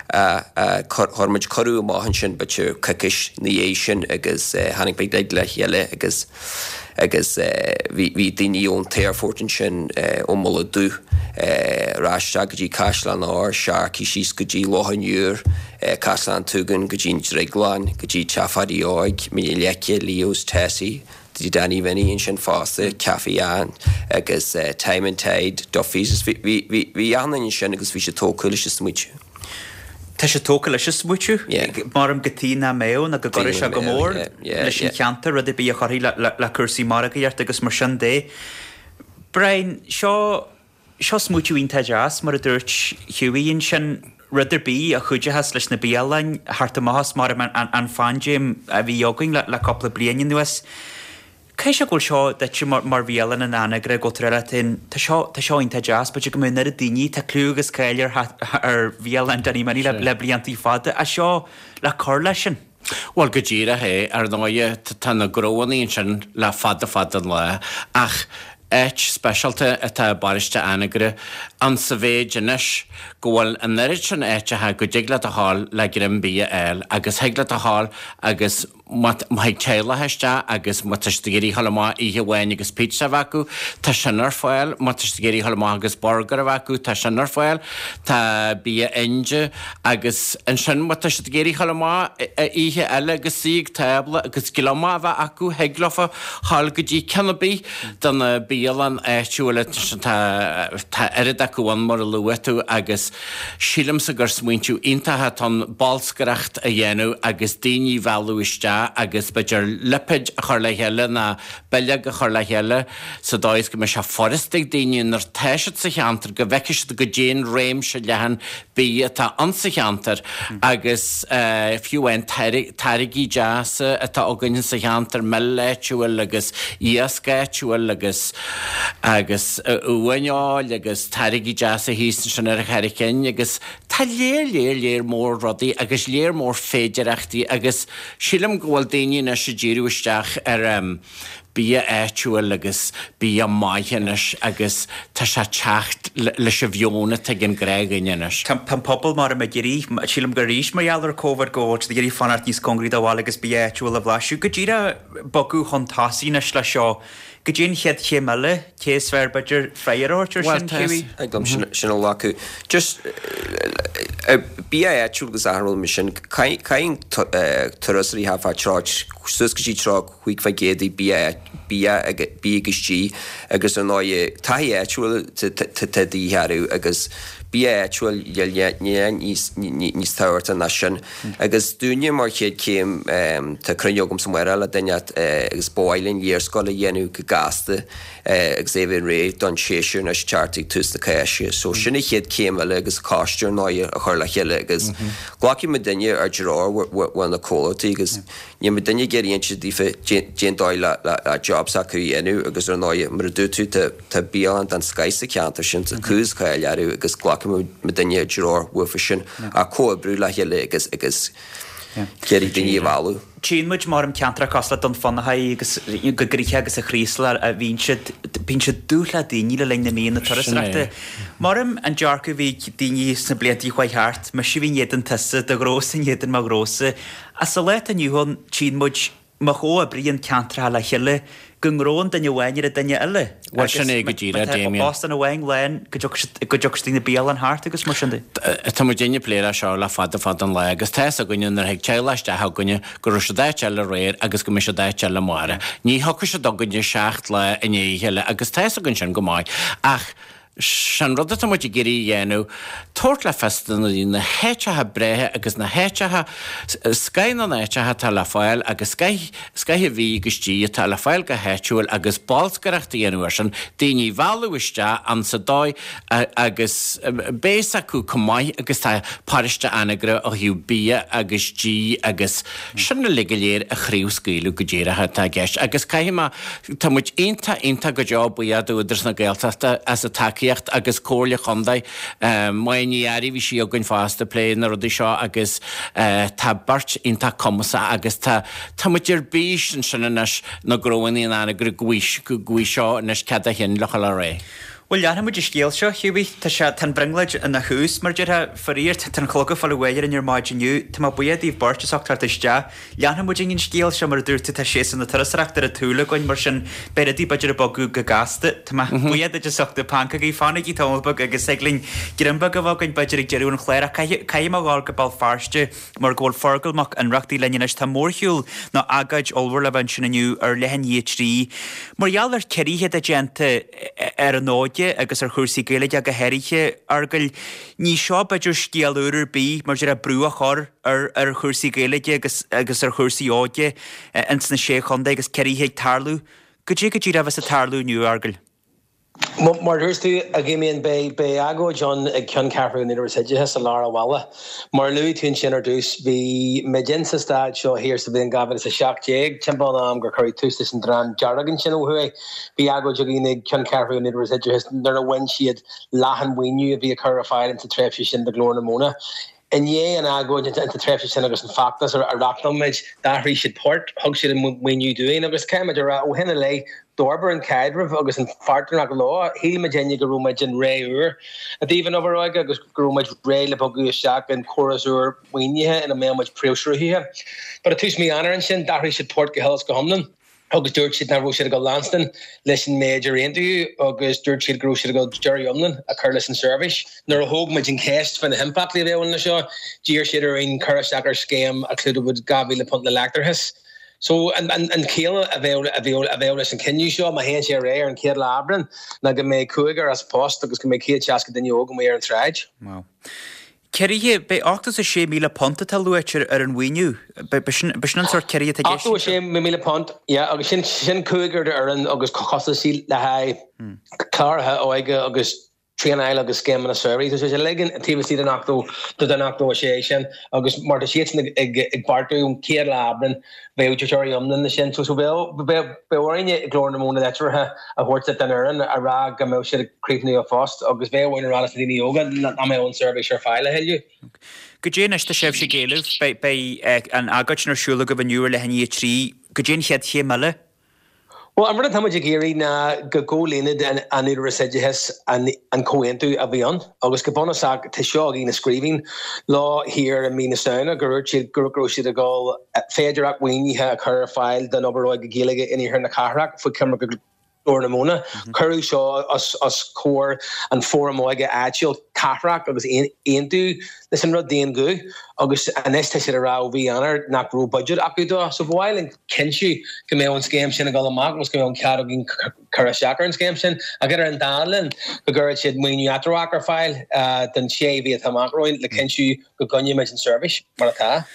Chuir muid cuireadh amach ansin b'fhéidir coicís ina dhiaidh sin agus tháinig muid uilig le chéile agus agus bhí bhí daoine ón t-aerfort ansin, ón Mullach Dubh, ar ais isteach go dtí Caisleán Ard, Sharkey síos go dtí Loch an Iúir, Caisleán Tugan go dtí an Drioglann, go dtí Teach Pháidí Óig, Mín na Leice, Leo's, Tessie. Bhí Danny Vinny ansin fosta, Café Ann agus Time and Tide, Duffy's. Bhí bhí bhí bhí achan duine ansin agus bhí siad tógtha leis an smaoitiú. Tá siad tógtha leis an smaoitiú? Maram go tí nach mbeadh nó go gcuirfeadh sé go mór leis an cheantar, rud ar bith a chuirfidh le le cúrsaí margaíochta agus mar sin de. Brian, seo seo smaoitiú iontach deas, mar a dúirt Hughie ansin, rud ar bith a chuideochas leis na bialanna theacht amach as maram an an phaindéim a bhí againn le le cúpla bliain anuas. Caithfidh sé go bhfuil seo duitse mar mar bhialann in Anagaire go bhfuil tú leat féin, tá seo tá seo iontach deas, b'fhéidir go mbeadh an oiread daoine, tá clú agus cáil ar ar bhialann Danny Minnie le le bliantaí fada, ach seo le cur leis sin. Bhuel, go díreach é, ar ndóighe, tá na gnóanna ansin le fada fada an lá, ach áit speisialta atá i bparóiste Anagaire ann sa mhéid anois go bhfuil an oiread sin áiteacha go dtig leat a ghabháil le greim bia a fháil agus thig leat a ghabháil agus má thig teaghlach isteach agus má tá siad ag iarraidh a ghabháil amach oíche amháin agus pizza a bheith acu, tá sin ar fáil, má tá siad ag iarraidh a ghabháil amach agus burger a bheith acu, tá sin ar fáil, tá bia Indiach agus ansin má tá siad ag iarraidh a ghabháil amach oíche eile agus suí ag tábla agus gliomach a bheith acu, thig leofa ghabháil go dtí ceann ar bith de na bialanna áitiúla, tá tá oiread acu. acu ann mar a luaigh tú agus sílimse gur smaointiú iontach atá ann bolscaireacht a dhéanamh agus daoine a mhealladh isteach agus b'fhéidir lipéid a chur le chéile ná bileog a chur le chéile sa dóigh is go mbeidh sé furasta ag daoine nuair atá siad sa cheantar go bhfeicfidh siad goidé an réimse leathan bídh atá ann sa cheantar agus fiú amháin táirgí deasa atá againn sa cheantar, mil áitiúil agus iasc áitiúil agus agus uain fheoil agus táirgí deasa thíos ansin ar an Charraig Chinn agus tá léar léar léar mór rudaí agus léar mór féidireachtaí agus sílim go bhfuil daoine anois ag díriú isteach ar bia áitiúil agus bia maith anois agus tá sé ag teacht leis an mheon atá ag an ngnáthdhuine anois. Tá an pobal mar ag iarraidh, sílim gur arís mar gheall ar Covid go bhfuil siad ag iarraidh fanacht níos cóngaraí do bhaile agus bia áitiúil a bhlaiseadh. Go díreach bogadh chun tosaigh anois leis seo. Goidé an chéad chéim eile, cé is fearr b'fhéidir freagra a thabhairt ar sin, Hughie? Thig liom sin a ghlacadh. Just bia áitiúil agus achan rud mar sin, caitheann turasóirí thart fá tríocha, suas go dtí tríocha cúig faoin gcéad de bia bia bia agus dí agus ar ndóigh taithí áitiúil tá de dhíth orthu agus bia áitiúil níl níos tábhachtaí ná sin. Agus dúinne mar chéad chéim tá cruinniú agamsa amárach le duine agus ba mhaith linn léarscáil a dhéanamh go gasta agus é a bheith réidh don séasúr anois teacht ag tús na Cásca. So sin an chéad chéim eile agus coiste ar ndóigh a chur le chéile agus glacfaidh muidinne ár dtreoir ó na comhlachtaí agus níl muidinne ag iarraidh inse daofa cén dóigh le job s'acu a dhéanamh agus ar ndóigh mar a dúirt tú tá tá bialann den scoith sa cheantar sin, tá clú is cáil orthu agus glacfaidh muidinne ár dtreoir uafa sin ach comhoibriú le chéile agus agus iarraidh daoine a mhealladh. Tchíonn muid mar ceantracha cosúil le Dún Fionnachaidh agus go gnoitheach agus a Chraoslaigh a bhíonn siad, bíonn siad dubh le daoine le linn na míonna turasóireachta. Mar an dearcadh a bhí ag daoine sna blianta a chuaigh thart, mise a bhí in éadan tusa, do ghnósa in éadan mo ghnósa. Ach sa lá atá inniu ann, tchíonn muid má chomhoibríonn ceantracha le chéile, go ngnóthaíonn duine amháin ar an duine eile. Bhuel, sin é go díreach, Damien. Óstán amháin lán, go dtiocfaidh siad na bialann thart agus mar sin de. Tá muidinne ag plé leis seo le fada fada an lá agus tá fhios againne nuair a thig teaghlach isteach chugainne go raibh siad áit eile aréir agus go mbeidh siad áit eile amárach. Ní thiocfaidh siad chugainne seacht lá i ndiaidh a chéile agus tá fhios againn sin go maith. Ach Sin rud atá muid ag iarraidh a dhéanamh, tabhairt le fios do na daoine na háiteacha breátha agus na háiteacha, scoth na n-áiteacha atá le fáil agus scoth, scoth an bhídh agus dí atá le fáil go háitiúil agus bolscaireacht a dhéanamh air sin, daoine a mhealladh isteach ann sa dóigh agus beidh fhios acu chomh maith agus tá paróiste Anagaire ó thaobh bia agus dí agus sin uilig go léir a chraobhscaoileadh go díreach atá i gceist agus caithfidh mé Tá muid iontach, iontach go deo buíoch d'Údarás na Gaeltachta as a tacaíocht agus Comhairle Chontae Máire Ní Fhearraigh, bhí sí againn fosta ag plé na rudaí seo agus tá beirt iontach cumasach agus tá, tá muid ar bís ansin anois na gnóanna in Anagaire go bhfaighidh seo anois cead a chinn le dhul ar aghaidh. Bhuel, leanfaidh muid an scéal seo, Hughie. Tá sé, tá an bhrionglóid ina thús, mar a déarfá. Faraor, tá an clog ag fáil abhaile orainn ar maidin inniu. Tá mé buíoch daoibh beirt as ucht teacht isteach. Leanfaidh muid an scéal seo, mar a dúirt tú, tá séasúr na turasóireachta ar an tsúil againn, mar sin beidh rudaí b'fhéidir ag bogadh go gasta. Tá mé buíoch duit as ucht na pancógaí. Fanaigí tamall beag agus thig linn greim beag a bheith againn b'fhéidir ag deireadh an chláir ach caithfidh mé a ghabháil go Béal Feirste mar go bhfuil Feargal Mac Ionnrachtaigh linn anois. Tá mórshiúl nó agóid ollmhór le bheith ansin inniu ar leath i ndiaidh a trí. Mar gheall ar ciorruithe atá déanta ar an óige agus ar chúrsaí Gaeilge go háirithe, a Fheargail, ní seo b'fhéidir scéal úr ar bith mar déarfá brú a chur ar ar chúrsaí Gaeilge agus agus ar chúrsaí óige ins na Sé Chontae agus ciorruithe ag tarlú. Goidé go díreach a bheas ag tarlú inniu, a Fheargail? Mar a dúirt tú, a Dhamien, beidh agóid ann ag ceanncheathrú an Údaráis Oideachais i lár an bhaile. Mar a luaigh tú ansin ar dtús, bhí muid in sa staid seo thiar sa bhliain dhá mhíle is a seacht déag, timpeall an am gur cuireadh tús leis an Dream Dearg ansin ó thuaidh. Bhí agóid againn ag ceanncheathrú an Údaráis Oideachais nuair a bhain siad leath an mhaoiniú a bhí á chur ar fáil insa tréimhse sin do Ghlór na Móna. I ndiaidh an agóid insa tréimhse sin agus an feachtas a reachtáil muid, d'athraigh siad port, thug siad an maoiniú dúinn agus caithfidh muid a rá, ó shin i leith, d'fhorbair an caidreamh agus an pháirtnéireacht leo. Shíl muidinne go raibh muid in ré úr i dtaobh an obair óige agus go raibh muid réidh le bogadh isteach in córas úr maoinithe ina mbeadh muid príomhshruthaithe. But i tús mí Eanáir ansin, d'athraigh siad port go huile is go hiomlán. agus dúirt siad nach raibh siad ag dul leanstan leis an méid ar aontaíodh agus dúirt siad go raibh siad ag dul deireadh iomlán a chur leis an seirbhís. Nuair a thóg muid an cheist fá na himpleachtaí a bheadh ann leis seo, d'iarr siad orainn cur isteach ar scéim a chlúdódh dhá mhíle punt le leictreachas. So an chiall a bheadh a bheadh a bheadh leis an cinneadh seo má théann sé ar aghaidh ar an chéad lá Aibreán ná go mbeidh cúigear as post agus go mbeidh céad seasca duine óg amuigh ar an tsráid. Wow. Ciorruithe, beidh ochtó is a sé míle punt atá luaite ar an mhaoiniú. B'shin an sórt ciorruithe atá i gceist. Ochtó a sé míle punt, yeah, agus sin sin cúigear d'fhoireann agus costaisí le haghaidh cláraithe óige agus traenáil agus scéimeanna samhraidh. Tá sé uilig taobh istigh den ochtó den ochtó a sé sin agus mar tá siadsan ag ag beartú ón chéad lá Aibreán bheadh deireadh iomlán leis sin. So so bheadh bheadh orainne i nGlór na Móna litreacha a thabhairt don fhoireann a rá go mbeadh siad ag críochnú a phost agus bheadh orainn a rá leis na daoine óga nach mbeadh an seirbhís ar fáil a thuilleadh. Goidé anois tá sibhse ag éileamh, beidh beidh an agóid sin ar siúl agaibh inniu ar leath i ndiaidh a trí, goidé an chéad chéim eile? Bhuel, an rud atá muid ag iarraidh ná go gcomhlíonfadh an Údarás Oideachais an comhaontú a bhí ann agus go bunúsach tá seo againn i scríbhinn lá thiar i mí na Samhna gur dhúirt siad go raibh siad ag dul féidearthacht mhaoinithe a chur ar fáil don obair óige Gaeilge in iarthar na cathrach faoi choimirce Ghlór na Móna. Cuireadh seo os comhair an Fóram Óige Áitiúil Cathrach agus aontaíodh leis an rud d'aon ghuth agus anois tá siad ag rá ó mhí Eanáir nach raibh budget acu dó. So ba mhaith linn cinntiú go mbeadh an scéim sin ag dul amach agus go mbeadh an cead againn cur isteach ar an scéim sin ach idir an dá linn go gcuirfeadh siad maoiniú eatramhach ar fáil don sé mhí atá amach romhainn le cinntiú go gcoinneoimid an seirbhís mar atá.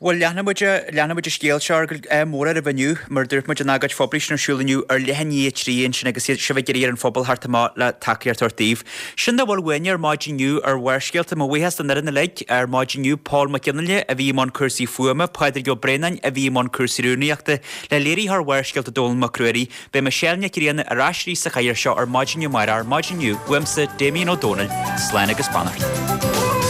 Bhuel, leanfaidh muid, leanfaidh muid an scéal seo ar ádh mór oraibh inniu, mar a dúirt muid, an agóid phoiblí sin ar siúl inniu ar leath i ndiaidh a trí ansin agus iad sibh ag iarraidh ar an phobal theacht amach le tacaíocht a thabhairt daoibh. Sin dá bhfuil uainne ar maidin inniu ar Bharrscéalta. Mo bhuíochas don fhoireann uilig ar maidin inniu, Pól Mac Fhionnghaile a bhí i mbun cúrsaí fuaime, Pádraig Ó Braonáin a bhí i mbun cúrsaí rúnaíochta, le léiritheoir Bharrscéalta Dónall Mac Ruairí. Beidh Michelle Nic Grianna ar ais arís sa chathaoir seo ar maidin amárach. Ar maidin inniu, uaimse, Damien Ó Dónaill, slán agus beannacht.